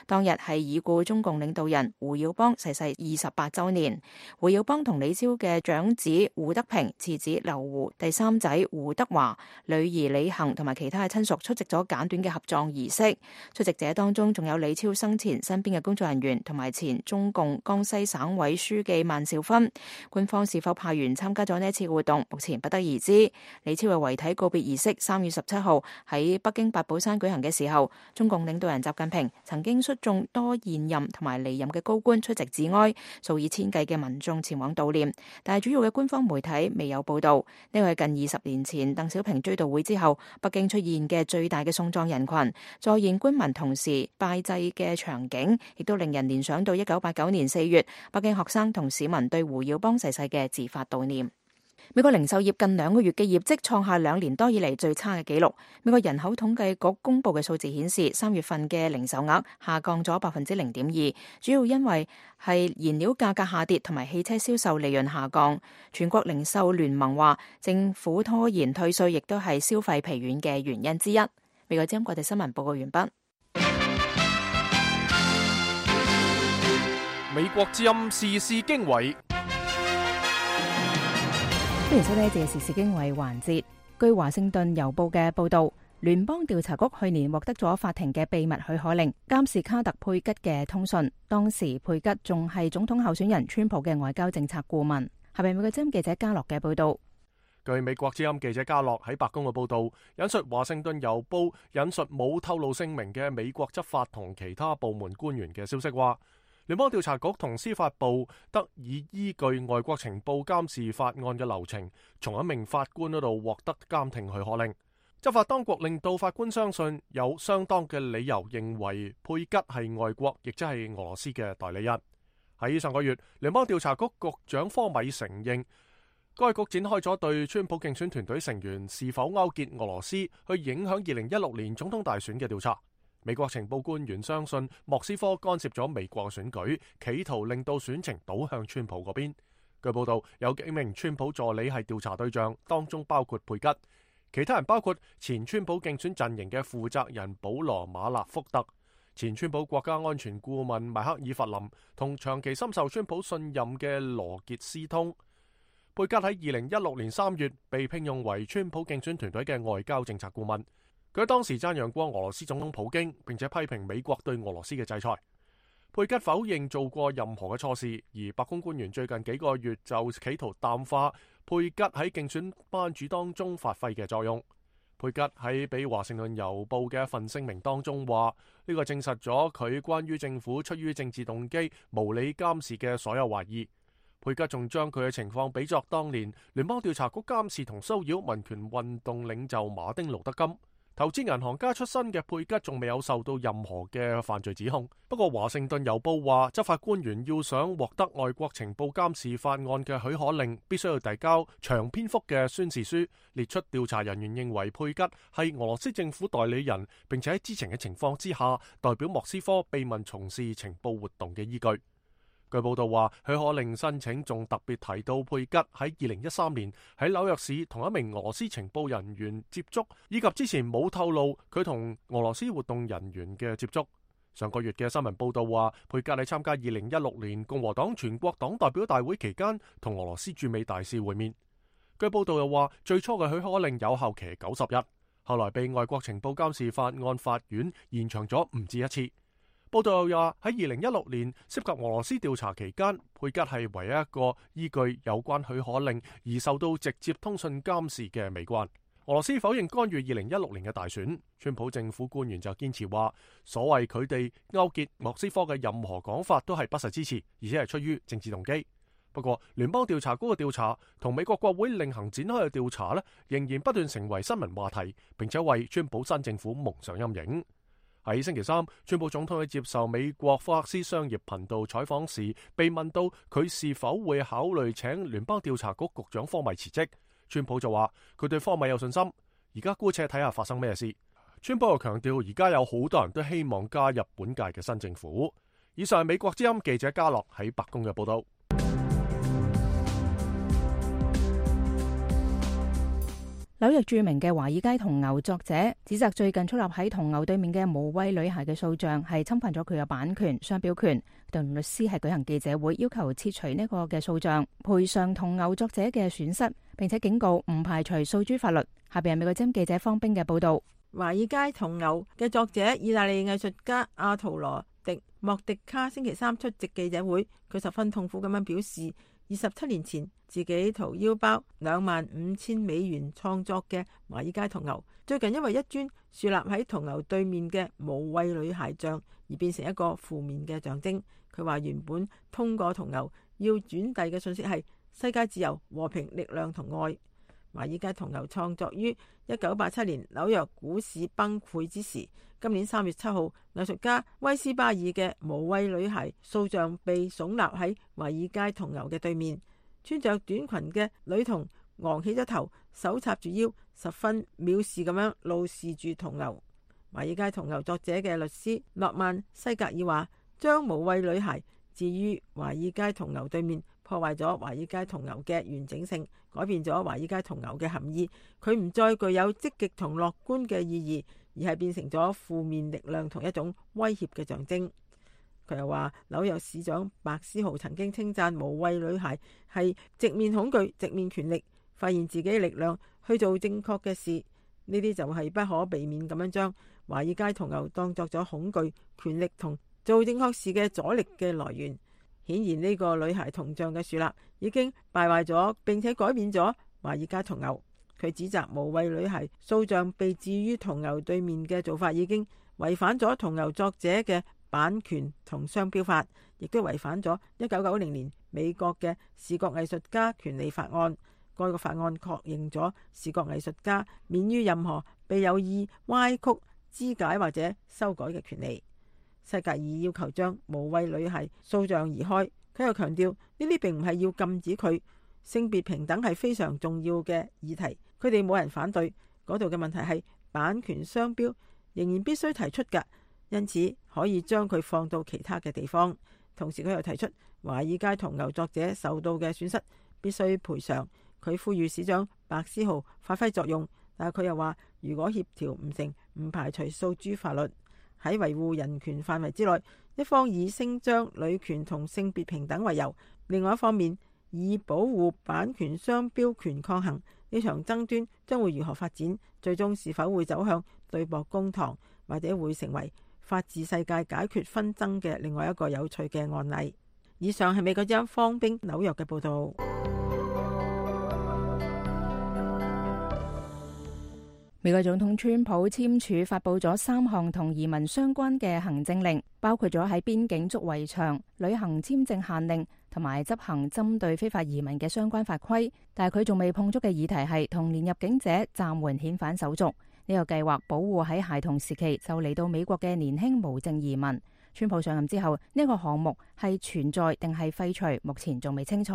當日係已故中共領導人胡耀邦逝世28週年。胡耀邦同李超嘅長子胡德平、次子劉胡、第三仔胡德華、女兒李幸同埋其他嘅親屬出席咗簡短嘅合葬儀式。出席者當中仲有李超生前身邊嘅工作人員同埋前中共江西省委書記萬兆勳。官方是否派員參加咗呢一次活動，目前不得而知。李超嘅遺體告別儀式3月17號喺北京八寶山舉行嘅時候，中共領導人習近平曾經率眾多現任同埋離任嘅高官出席致哀，數以千計嘅民眾前往悼念，但係主要嘅官方媒體未有報道。呢個係近20年前鄧小平追悼會之後，北京出現嘅最大嘅送葬人群，在現官民同時拜祭嘅場景，亦都令人聯想到1989年4月北京學生同市民對胡耀邦逝世嘅自發悼念。美國零售業近2個月嘅業績創下2年多以嚟最差嘅紀錄。美國人口統計局公布嘅數字顯示，3月份嘅零售額下降咗0.2%，主要因為係燃料價格下跌同埋汽車銷售利潤下降。全國零售聯盟話，政府拖延退稅亦都係消費疲軟嘅原因之一。美國之音國際新聞報告完畢。美國之音時事經緯，歡迎收睇呢一節時事經緯環節。據華盛頓郵報嘅報道，聯邦調查局去年獲得咗法庭嘅秘密許可令，監視卡特佩吉嘅通訊。當時佩吉仲係總統候選人川普嘅外交政策顧問。下邊美國之音記者加洛嘅報道。據美國之音記者加洛喺白宮嘅報道，引述華盛頓郵報引述冇透露姓名嘅美國執法同其他部門官員嘅消息話，聯邦調查局同司法部得以依據外國情報監視法案嘅流程，從一名法官嗰度獲得監聽許可令。執法當局令到法官相信有相當嘅理由認為佩吉係外國，亦即係俄羅斯嘅代理人。喺上個月，聯邦調查局局長科米承認，該局展開咗對川普競選團隊成員是否勾結俄羅斯去影響2016年總統大選嘅調查。美國情報官員相信莫斯科干涉咗美國選舉，企圖令到選情倒向川普嗰邊。據報道，有幾名川普助理係調查對象，當中包括佩吉，其他人包括前川普競選陣營嘅負責人保羅馬納福特、前川普國家安全顧問邁克爾弗林同長期深受川普信任嘅羅傑斯通。佩吉喺2016年3月被聘用為川普競選團隊嘅外交政策顧問。佢當時讚揚過俄羅斯總統普京，並且批評美國對俄羅斯嘅制裁。佩吉否認做過任何嘅錯事，而白宮官員最近幾個月就企圖淡化佩吉喺競選班主當中發揮嘅作用。佩吉喺俾華盛頓郵報嘅一份聲明當中話，呢個證實咗佢關於政府出於政治動機無理監視嘅所有懷疑。佩吉仲將佢嘅情況比作當年聯邦調查局監視同騷擾民權運動領袖馬丁路德金。投資銀行家出身嘅佩吉仲未有受到任何嘅犯罪指控。不過華盛頓郵報話，執法官員要想獲得外國情報監視法案嘅許可令，必須要遞交長篇幅嘅宣示書，列出調查人員認為佩吉係俄羅斯政府代理人，並且喺知情嘅情況之下代表莫斯科秘密從事情報活動嘅依據。據報道話，許可令申請仲特別提到佩吉喺2013年喺紐約市同一名俄羅斯情報人員接觸，以及之前冇透露佢同俄羅斯活動人員嘅接觸。上個月嘅新聞報道話，佩吉喺參加2016年共和黨全國黨代表大會期間同俄羅斯駐美大使會面。據報道又話，最初嘅許可令有效期90日，後來被外國情報監視法案法院延長咗唔止一次。報道又話喺2016年涉及俄羅斯調查期間，佩吉係唯一一個依據有關許可令而受到直接通訊監視嘅美國人。俄羅斯否認干預2016年嘅大選，川普政府官員就堅持話，所謂佢哋勾結莫斯科嘅任何講法都係不實之詞，而且係出於政治動機。不過，聯邦調查局嘅調查同美國國會另行展開嘅調查呢，仍然不斷成為新聞話題，並且為川普新政府蒙上陰影。喺星期三，川普總統喺接受美國福克斯商業頻道採訪時，被問到佢是否會考慮請聯邦調查局局長科米辭職，川普就話佢對科米有信心，而家姑且睇下發生咩事。川普又強調，而家有好多人都希望加入本屆嘅新政府。以上係美國之音記者加洛喺白宮嘅報道。紐約著名嘅華爾街銅牛作者指責最近矗立喺銅牛對面嘅無畏女孩嘅塑像係侵犯咗佢嘅版權、商標權，同律師係舉行記者會要求撤除呢個嘅塑像，賠償銅牛作者嘅損失，並且警告唔排除訴諸法律。下邊係美國之音記者方冰嘅報道。華爾街銅牛嘅作者意大利藝術家阿圖羅迪莫迪卡星期三出席記者會，佢十分痛苦咁樣表示，27年前自己掏腰包$25,000創作嘅華爾街銅牛，最近因為一尊豎立喺銅牛對面嘅無畏女孩像而變成一個負面嘅象徵。佢話原本通過銅牛要轉遞嘅信息係世界自由、和平、力量同愛。華爾街銅牛創作於1987年紐約股市崩潰之時。今年3月7號，藝術家威斯巴爾嘅無畏女孩塑像被聳立喺華爾街銅牛嘅對面。穿着短裙嘅女童昂起咗頭，手插住腰，十分藐視咁樣怒視住銅牛。華爾街銅牛作者嘅律師諾曼西格爾話，將無畏女孩置於華爾街銅牛對面，破壞咗華爾街銅牛嘅完整性，改變咗華爾街銅牛嘅含義。佢唔再具有積極同樂觀嘅意義，而係變成咗負面力量同一種威脅嘅象徵。佢又話，紐約市長白思豪曾經稱讚無畏女孩係直面恐懼、直面權力，發現自己嘅力量去做正確嘅事。呢啲就係不可避免咁樣將華爾街銅牛當作咗恐懼、權力同做正確事嘅阻力嘅來源。顯然呢個女孩銅像嘅樹立已經敗壞咗，並且改變咗華爾街銅牛。佢指責無謂女孩塑像被置於銅牛對面嘅做法已經違反咗銅牛作者嘅版權同商標法，亦都違反咗1990年美國嘅視覺藝術家權利法案。該個法案確認咗視覺藝術家免於任何被有意歪曲、肢解或者修改嘅權利。西格爾要求將無謂女孩塑像移開，佢又強調呢啲並唔係要禁止佢。性別平等係非常重要嘅議題，佢哋冇人反對。嗰度嘅問題係版權商標仍然必須提出㗎，因此可以將佢放到其他嘅地方。同時佢又提出華爾街銅牛作者受到嘅損失必須賠償。佢呼籲市長白思豪發揮作用，但係佢又話如果協調唔成，唔排除訴諸法律。喺維護人權範圍之內，一方以聲張女權同性別平等為由，另外一方面以保護版權商標權抗衡。呢場爭端將會如何發展？最終是否會走向對簿公堂，或者會成為法治世界解決紛爭嘅另外一個有趣嘅案例？以上係美國之音方冰紐約嘅報道。美國總統川普簽署發佈咗3項同移民相關嘅行政令，包括咗喺邊境築圍牆、旅行簽證限令同埋執行針對非法移民嘅相關法規。但係佢仲未碰觸嘅議題係童年入境者暫緩遣返手續。呢個計劃保護喺孩童時期就嚟到美國嘅年輕無證移民。川普上任之後，呢個項目係存在定係廢除，目前仲未清楚。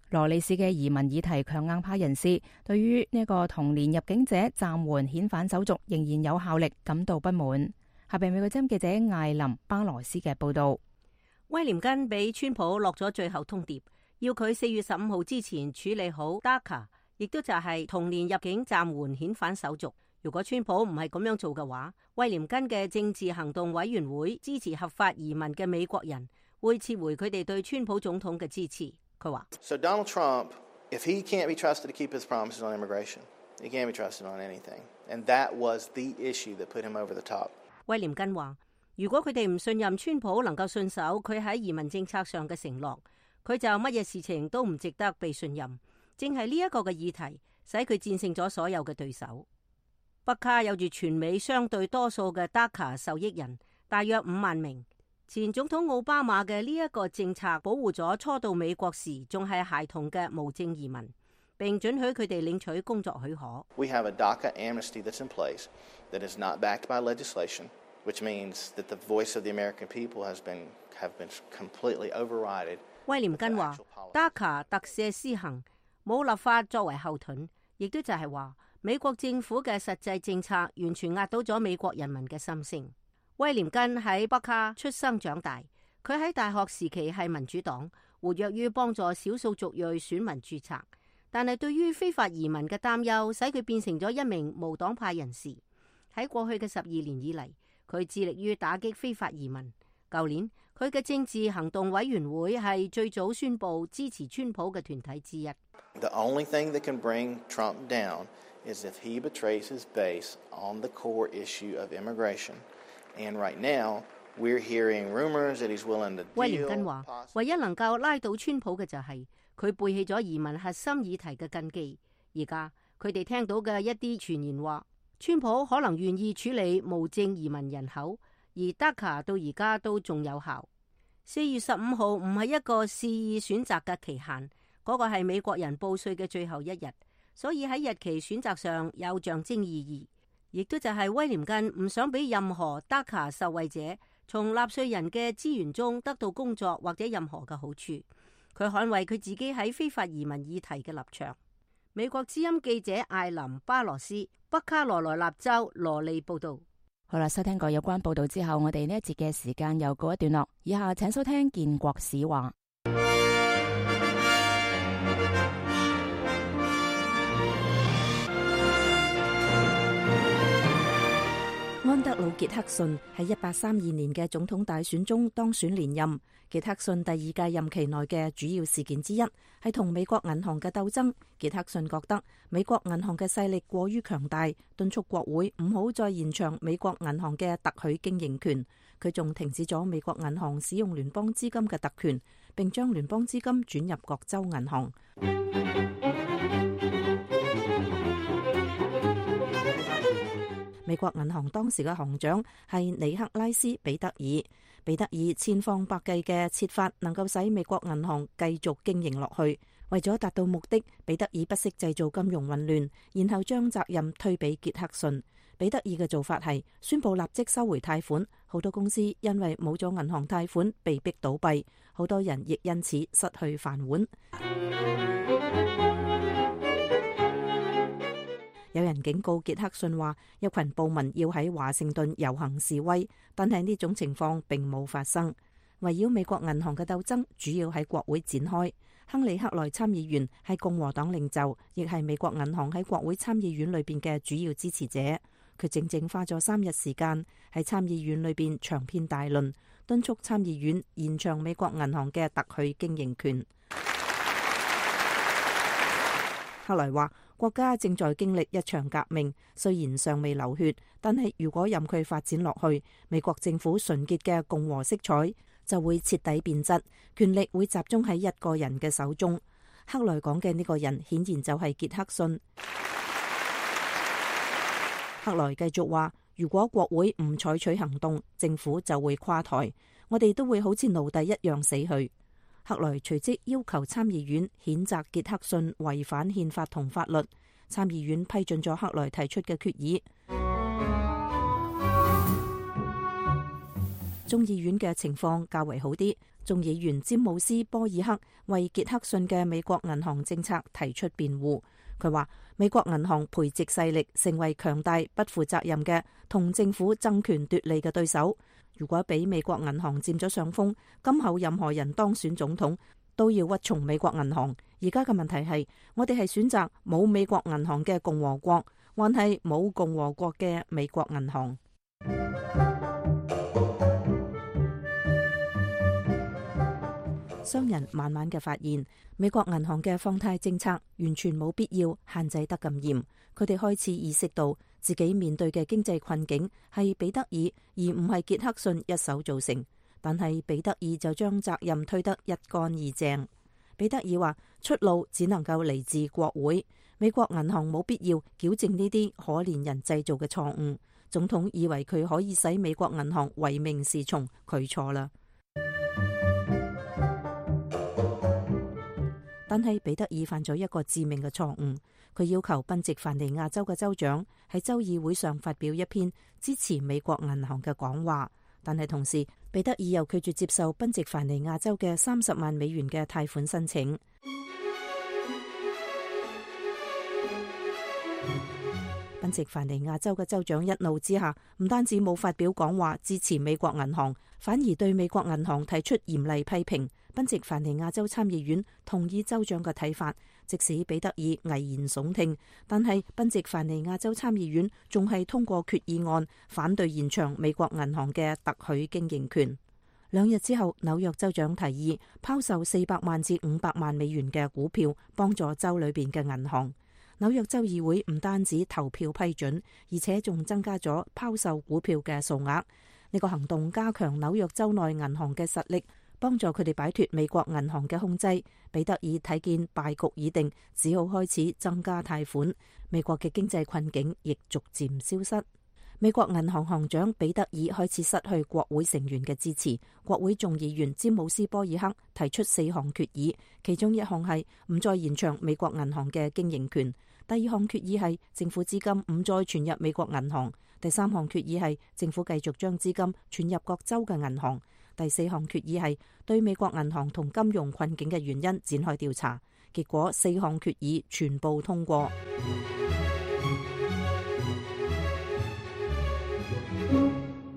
羅里市嘅移民議題強硬派人士對於呢個童年入境者暫緩遣返手續仍然有效力感到不滿。下邊美國之音記者艾琳巴羅斯嘅報道。威廉根俾川普落咗最後通牒，要佢4月15號之前處理好 DACA， 亦都就係童年入境暫緩遣返手續。如果川普唔係咁樣做嘅話，威廉根嘅政治行動委員會支持合法移民嘅美國人會撤回佢哋對川普總統嘅支持。佢話 So Donald Trump, if he can't be trusted to keep his promises on immigration, he can't be trusted on anything. And that was the issue that put him over the top. 威廉根話，如果佢哋唔信任川普能夠信守佢喺移民政策上嘅承諾，佢就乜嘢事情都唔值得被信任。正係呢一個嘅議題使佢戰勝咗所有嘅對手。北卡有住全美相對多數嘅 DACA 受益人，大約5萬名。前總統奧巴馬嘅呢一個政策保護咗初到美國時仲係孩童嘅無證移民，並准許佢哋領取工作許可。We have a DACA amnesty that's in place that is not backed by legislation, which means that the voice of the American people have been completely overridden. 威廉根話 DACA 特赦施行，冇立法作為後盾，亦都就係話美國政府嘅實際政策完全壓倒咗美國人民嘅心聲。威廉根喺北卡出生長大，佢喺大學時期係民主黨，活躍於幫助少數族裔選民註冊，但係對於非法移民嘅擔憂使佢變成咗一名無黨派人士。喺過去嘅12年以嚟，佢致力於打擊非法移民。舊年佢嘅政治行動委員會係最早宣布支持川普嘅團體之一。The only thing that can bring Trump down is if he betrays his base on the core issue of immigration. And right now, we're hearing rumors that he's willing to deal. 威廉根話，唯一能夠拉倒川普嘅就係佢背棄咗移民核心議題嘅根基。而家佢哋聽到嘅一啲傳言話，川普可能願意處理無證移民人口，而 DACA 到而家都仲有效。4月15號唔係一個肆意選擇嘅期限，嗰個係美國人報稅嘅最後一日，所以喺日期選擇上有象徵意義。亦都就係威廉根唔想俾任何 DACA 受惠者從納稅人嘅資源中得到工作或者任何嘅好處。佢捍衛佢自己喺非法移民議題嘅立場。美國之音記者艾琳巴羅斯，北卡羅來納州羅利報道。好啦，收聽過有關報道之後，我哋呢一節嘅時間又告一段落。以下請收聽建國史話。安德魯傑克遜喺1832年嘅總統大選中當選連任。傑克遜第二屆任期內嘅主要事件之一係同美國銀行嘅鬥爭。傑克遜覺得美國銀行嘅勢力過於強大，敦促國會唔好再延長美國銀行嘅特許經營權。佢仲停止咗美國銀行使用聯邦資金嘅特權，並將聯邦資金轉入各州銀行。美國銀行當時嘅行長係尼克拉斯·彼得爾。彼得爾千方百計嘅設法能夠使美國銀行繼續經營落去。為咗達到目的，彼得爾不惜製造金融混亂，然後將責任推俾傑克遜。彼得爾嘅做法係宣布立即收回貸款，好多公司因為冇咗銀行貸款被逼倒閉，好多人亦因此失去飯碗。有人警告傑克遜話，一群暴民要喺華盛頓遊行示威，但係呢種情況並冇發生。圍繞美國銀行嘅鬥爭主要喺國會展開。亨利·克萊參議員係共和黨領袖，亦係美國銀行喺國會參議院裏邊嘅主要支持者。佢整整花咗3日時間喺參議院裏邊長篇大論，敦促參議院延長美國銀行嘅特許經營權。克萊話，國家正在經歷一場革命，雖然尚未流血，但係如果任佢發展落去，美國政府純潔嘅共和色彩就會徹底變質，權力會集中喺一個人嘅手中。克萊講嘅呢個人顯然就係傑克遜。克萊繼續話，如果國會唔採取行動，政府就會垮台，我哋都會好似奴隸一樣死去。克萊隨即要求參議院譴責傑克遜違反憲法同法律。參議院批准咗克萊提出嘅決議。眾議院嘅情況較為好啲。眾議員詹姆斯·波爾克為傑克遜嘅美國銀行政策提出辯護。佢話美國銀行培植勢力成為強大不負責任嘅同政府爭權奪利嘅對手。如果俾美國銀行佔咗上風，今後任何人當選總統都要屈從美國銀行。而家嘅問題係，我哋係選擇冇美國銀行嘅共和國，還係冇共和國嘅美國銀行？商人慢慢嘅發現，美國銀行嘅放貸政策完全冇必要限制得咁嚴。佢哋開始意識到自己面對嘅經濟困境係彼得爾而唔係傑克遜一手造成，但係彼得爾就將責任推得一乾二淨。彼得爾話，出路只能夠嚟自國會，美國銀行冇必要矯正呢啲可憐人製造嘅錯誤。總統以為佢可以使美國銀行唯命是從，佢錯啦。但係彼得爾犯咗一個致命嘅錯誤，佢要求賓夕凡尼亞州嘅州長喺州議會上發表一篇支持美國銀行嘅講話，但係同時彼得爾又拒絕接受賓夕凡尼亞州嘅30萬美元嘅貸款申請。賓夕凡尼亞州嘅州長一怒之下，唔單止冇發表講話支持美國銀行，反而對美國銀行提出嚴厲批評。賓夕凡尼亞州參議院同意州長嘅睇法，即使彼得爾危言聳聽，但係賓夕凡尼亞州參議院仲係通過決議案，反對延長美國銀行嘅特許經營權。2日之後，紐約州長提議拋售400萬至500萬美元嘅股票，幫助州裏邊嘅銀行。紐約州議會唔單止投票批准，而且仲增加咗拋售股票嘅數額。呢個行動加強紐約州內銀行嘅實力，幫助佢哋擺脫美國銀行嘅控制。彼得爾睇見敗局已定，只好開始增加貸款。美國嘅經濟困境亦逐漸消失。美國銀行行長彼得爾開始失去國會成員嘅支持。國會眾議員詹姆斯·波爾克提出4項決議，其中一項係唔再延長美國銀行嘅經營權。第2項決議係政府資金唔再存入美國銀行。第3項決議係政府繼續將資金存入各州嘅銀行。第4項決議係對美國銀行同金融困境嘅原因展開調查。結果4項決議全部通過。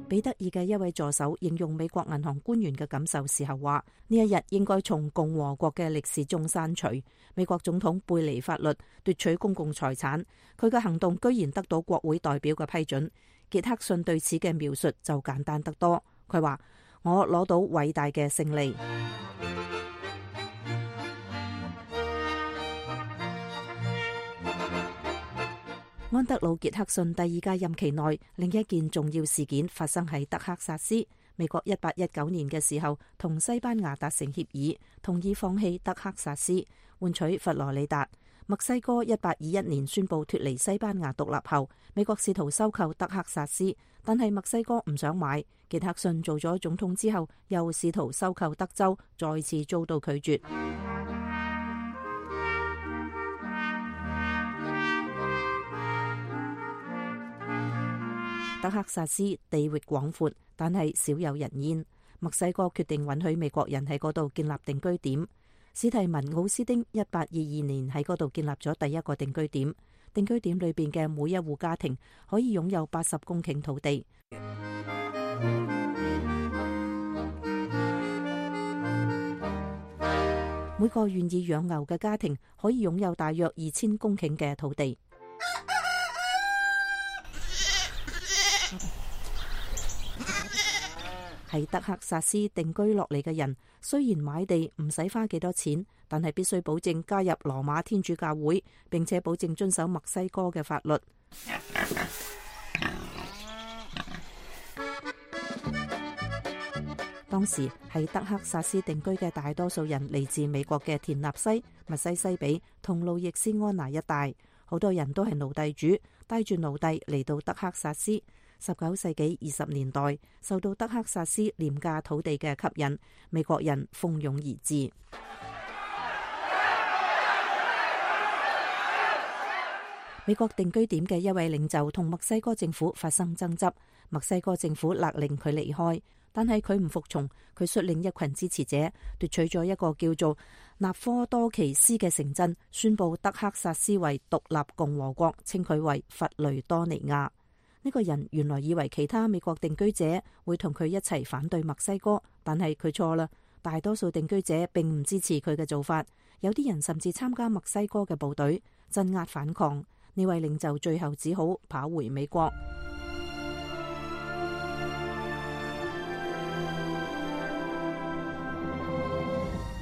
彼得爾嘅一位助手形容美國銀行官員嘅感受時候話：呢一日應該從共和國嘅歷史中刪除。美國總統背離法律，奪取公共財產，佢嘅行動居然得到國會代表嘅批准。傑克遜對此嘅描述就簡單得多。佢話：我攞到偉大嘅勝利。安德魯·傑克遜第二屆任期內，另一件重要事件發生喺德克薩斯。美國1819年嘅時候，同西班牙達成協議，同意放棄德克薩斯，換取佛羅里達。墨西哥1821年宣布脫離西班牙獨立後，美國試圖收購德克薩斯，但係墨西哥唔想買。傑克遜做咗總統之後，又試圖收購德州，再次遭到拒絕。德克薩斯地域廣闊，但係少有人煙。墨西哥決定允許美國人喺嗰度建立定居點。史提文奧斯丁1822年喺嗰度建立咗第一個定居點。定居點裏邊嘅每一戶家庭可以擁有80公頃土地。每個願意養牛嘅家庭可以擁有大約2000公頃嘅土地。喺德克薩斯定居落嚟嘅人，雖然買地唔使花幾多錢，但係必須保證加入羅馬天主教會，並且保證遵守墨西哥嘅法律。當時喺德克薩斯定居嘅大多數人嚟自美國嘅田納西、密西西比同路易斯安那一帶，好多人都係奴隸主，帶住奴隸嚟到德克薩斯。19世紀20年代，受到德克薩斯廉價土地嘅吸引，美國人蜂擁而至。美國定居點嘅一位領袖同墨西哥政府發生爭執，墨西哥政府勒令佢離開，但係佢唔服從，佢率領一群支持者奪取咗一個叫做納科多奇斯嘅城鎮，宣布德克薩斯為獨立共和國，稱佢為佛雷多尼亞。呢個人原來以為其他美國定居者會同佢一齊反對墨西哥，但係佢錯啦。大多數定居者並唔支持佢嘅做法，有啲人甚至參加墨西哥嘅部隊鎮壓反抗。呢位領袖最後只好跑回美國。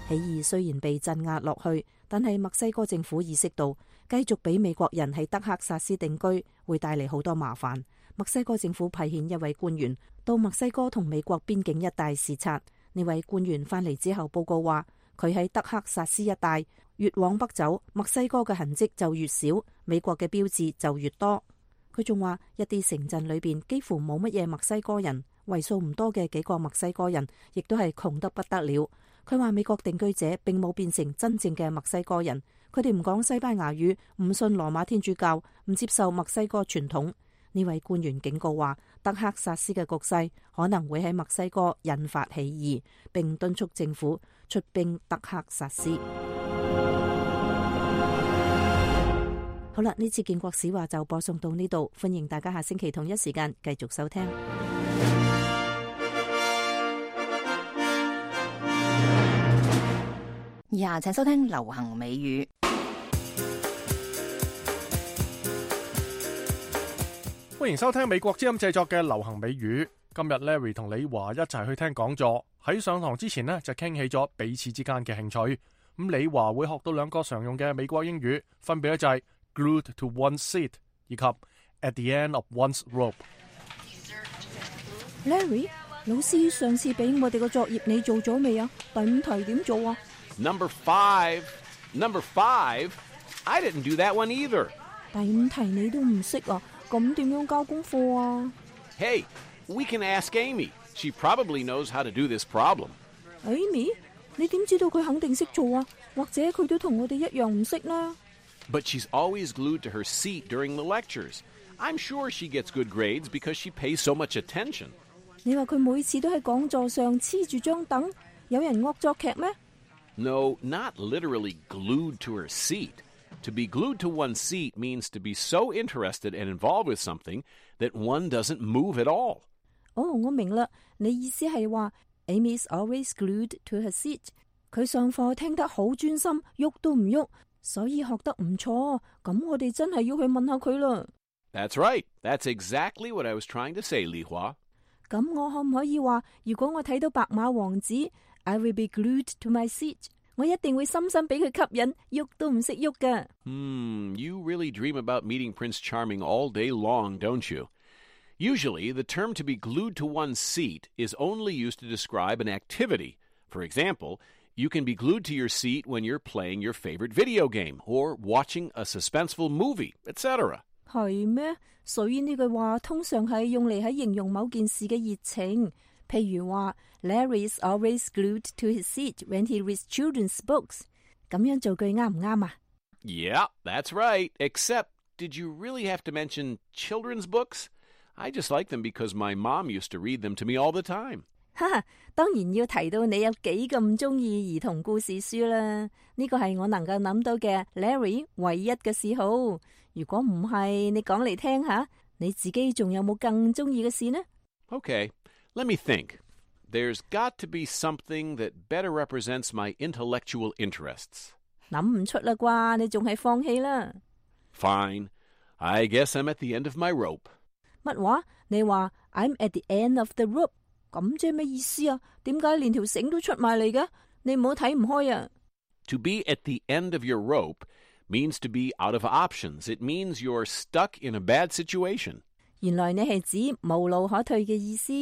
起義雖然被鎮壓落去，但係墨西哥政府意識到繼續俾美國人喺德克薩斯定居會帶嚟好多麻煩。墨西哥政府派遣一位官員到墨西哥同美國邊境一帶視察。呢位官員翻嚟之後報告話，佢喺德克薩斯一帶越往北走，墨西哥嘅痕跡就越少，美國嘅標誌就越多。佢仲話一啲城鎮裏邊幾乎冇乜嘢墨西哥人，為數唔多嘅幾個墨西哥人亦都係窮得不得了。佢話美國定居者並冇變成真正嘅墨西哥人，佢哋唔講西班牙語，唔信羅馬天主教，唔接受墨西哥傳統。呢位官員警告話，德克薩斯嘅局勢可能會喺墨西哥引發起義，並敦促政府出兵德克薩斯。好啦，呢次建國史話就播送到呢度，歡迎大家下星期同一時間繼續收聽。以下請收聽流行美語。歡迎收聽美國之音製作嘅流行美語。今日 Larry 同李華一齊去聽講座。喺上堂之前呢，就傾起咗彼此之間嘅興趣。咁李華會學到2個常用嘅美國英語，分別咧就係 glued to one's seat 以及 at the end of one's rope。 Larry， 老師上次俾我哋個作業你做咗未啊？第5題點做啊？ Number 5, I didn't do that one either. 第5題你都唔識啊？咁點樣交功課啊？ Hey, we can ask Amy. She probably knows how to do this problem. Amy， 你點知道佢肯定識做啊？或者佢都同我哋一樣唔識呢？ But she's always glued to her seat during the lectures. I'm sure she gets good grades because she pays so much attention. 你話佢每次都喺講座上黐住張凳，有人惡作劇咩？ No, not literally glued to her seat. To be glued to one's seat means to be so interested and involved with something that one doesn't move at all. 哦，我明啦，你意思係話 Amy's always glued to her seat。佢上課聽得好專心，喐都唔喐，所以學得唔錯。咁我哋真係要去問下佢啦。That's right. That's exactly what I was trying to say, Li Hua. 咁我可唔可以話，如果我睇到白馬王子 ，I will be glued to my seat， 我一定會深深俾佢吸引，喐都唔識喐㗎。You really dream about meeting Prince Charming all day long, don't you? Usually, the term to be glued to one's seat is only used to describe an activity. For example, you can be glued to your seat when you're playing your favorite video game or watching a suspenseful movie, etc. 係咩？所以呢句話通常係用嚟喺形容某件事嘅熱情。譬如話 Larry is always glued to his seat when he reads children's books。咁樣造句啱唔啱啊？ Yeah, that's right. Except, did you really have to mention children's books? I just like them because my mom used to read them to me all the time. 哈哈，當然要提到你有幾咁中意兒童故事書啦。呢個係我能夠諗到嘅 Larry 唯一嘅嗜好。如果唔係，你講嚟聽下，你自己仲有冇更中意嘅事呢？ Okay, let me think. There's got to be something that better represents my intellectual interests. 諗唔出啦啩，你仲係放棄啦。Fine. I guess I'm at the end of my rope. 乜話？你話 I'm at the end of the rope， 咁即係咩意思啊？點解連條繩都出埋嚟嘅？你唔好睇唔開啊！ To be at the end of your rope means to be out of options. It means you're stuck in a bad situation. 原來你係指無路可退嘅意思。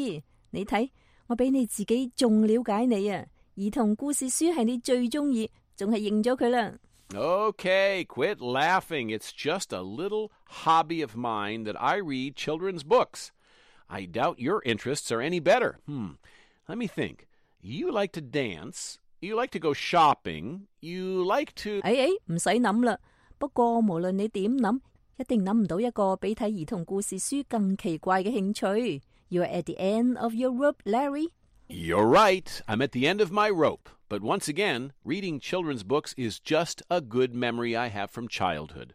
你睇，我比你自己仲了解你啊！兒童故事書係你最中意，仲係認咗佢啦。Okay, quit laughing. It's just a little hobby of mine that I read children's books. I doubt your interests are any better. Let me think. You like to dance. You like to go shopping. You like to... 唔使諗啦。不過無論你點諗，一定諗唔到一個比睇兒童故事書更奇怪嘅興趣。You're at the end of your rope, Larry. You're right. I'm at the end of my rope. But once again, reading children's books is just a good memory I have from childhood.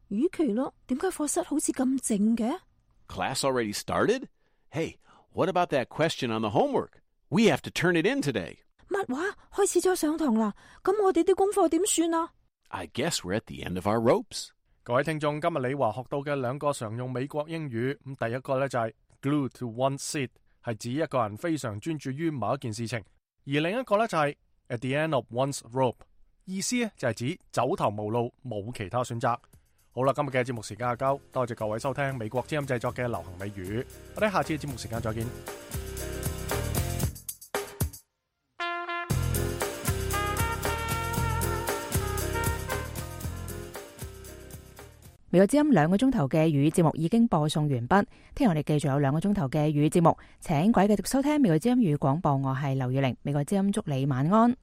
與其咯，點解課室好似咁靜嘅？ Class already started? Hey, what about that question on the homework? We have to turn it in today. 乜話？開始咗上堂啦？咁我哋啲功課點算啊？ I guess we're at the end of our ropes. 各位聽眾，今日李華學到嘅兩個常用美國英語，第一個呢就係 glued to one's seat， 係指一個人非常專注於某一件事情，而另一個呢就係at the end of one's rope， 意思呢就係指走投無路，冇其他選擇。好啦，今日嘅節目時間係夠，多謝各位收聽美國之音製作嘅流行美語，我哋下次嘅節目時間再見。美國之音2個鐘頭嘅粵語節目已經播送完畢，聽日我哋繼續有2個鐘頭嘅粵語節目，請各位繼續收聽美國之音粵語廣播，我係劉宇玲，美國之音祝你晚安。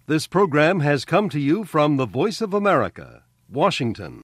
This program has come to you from the Voice of America, Washington.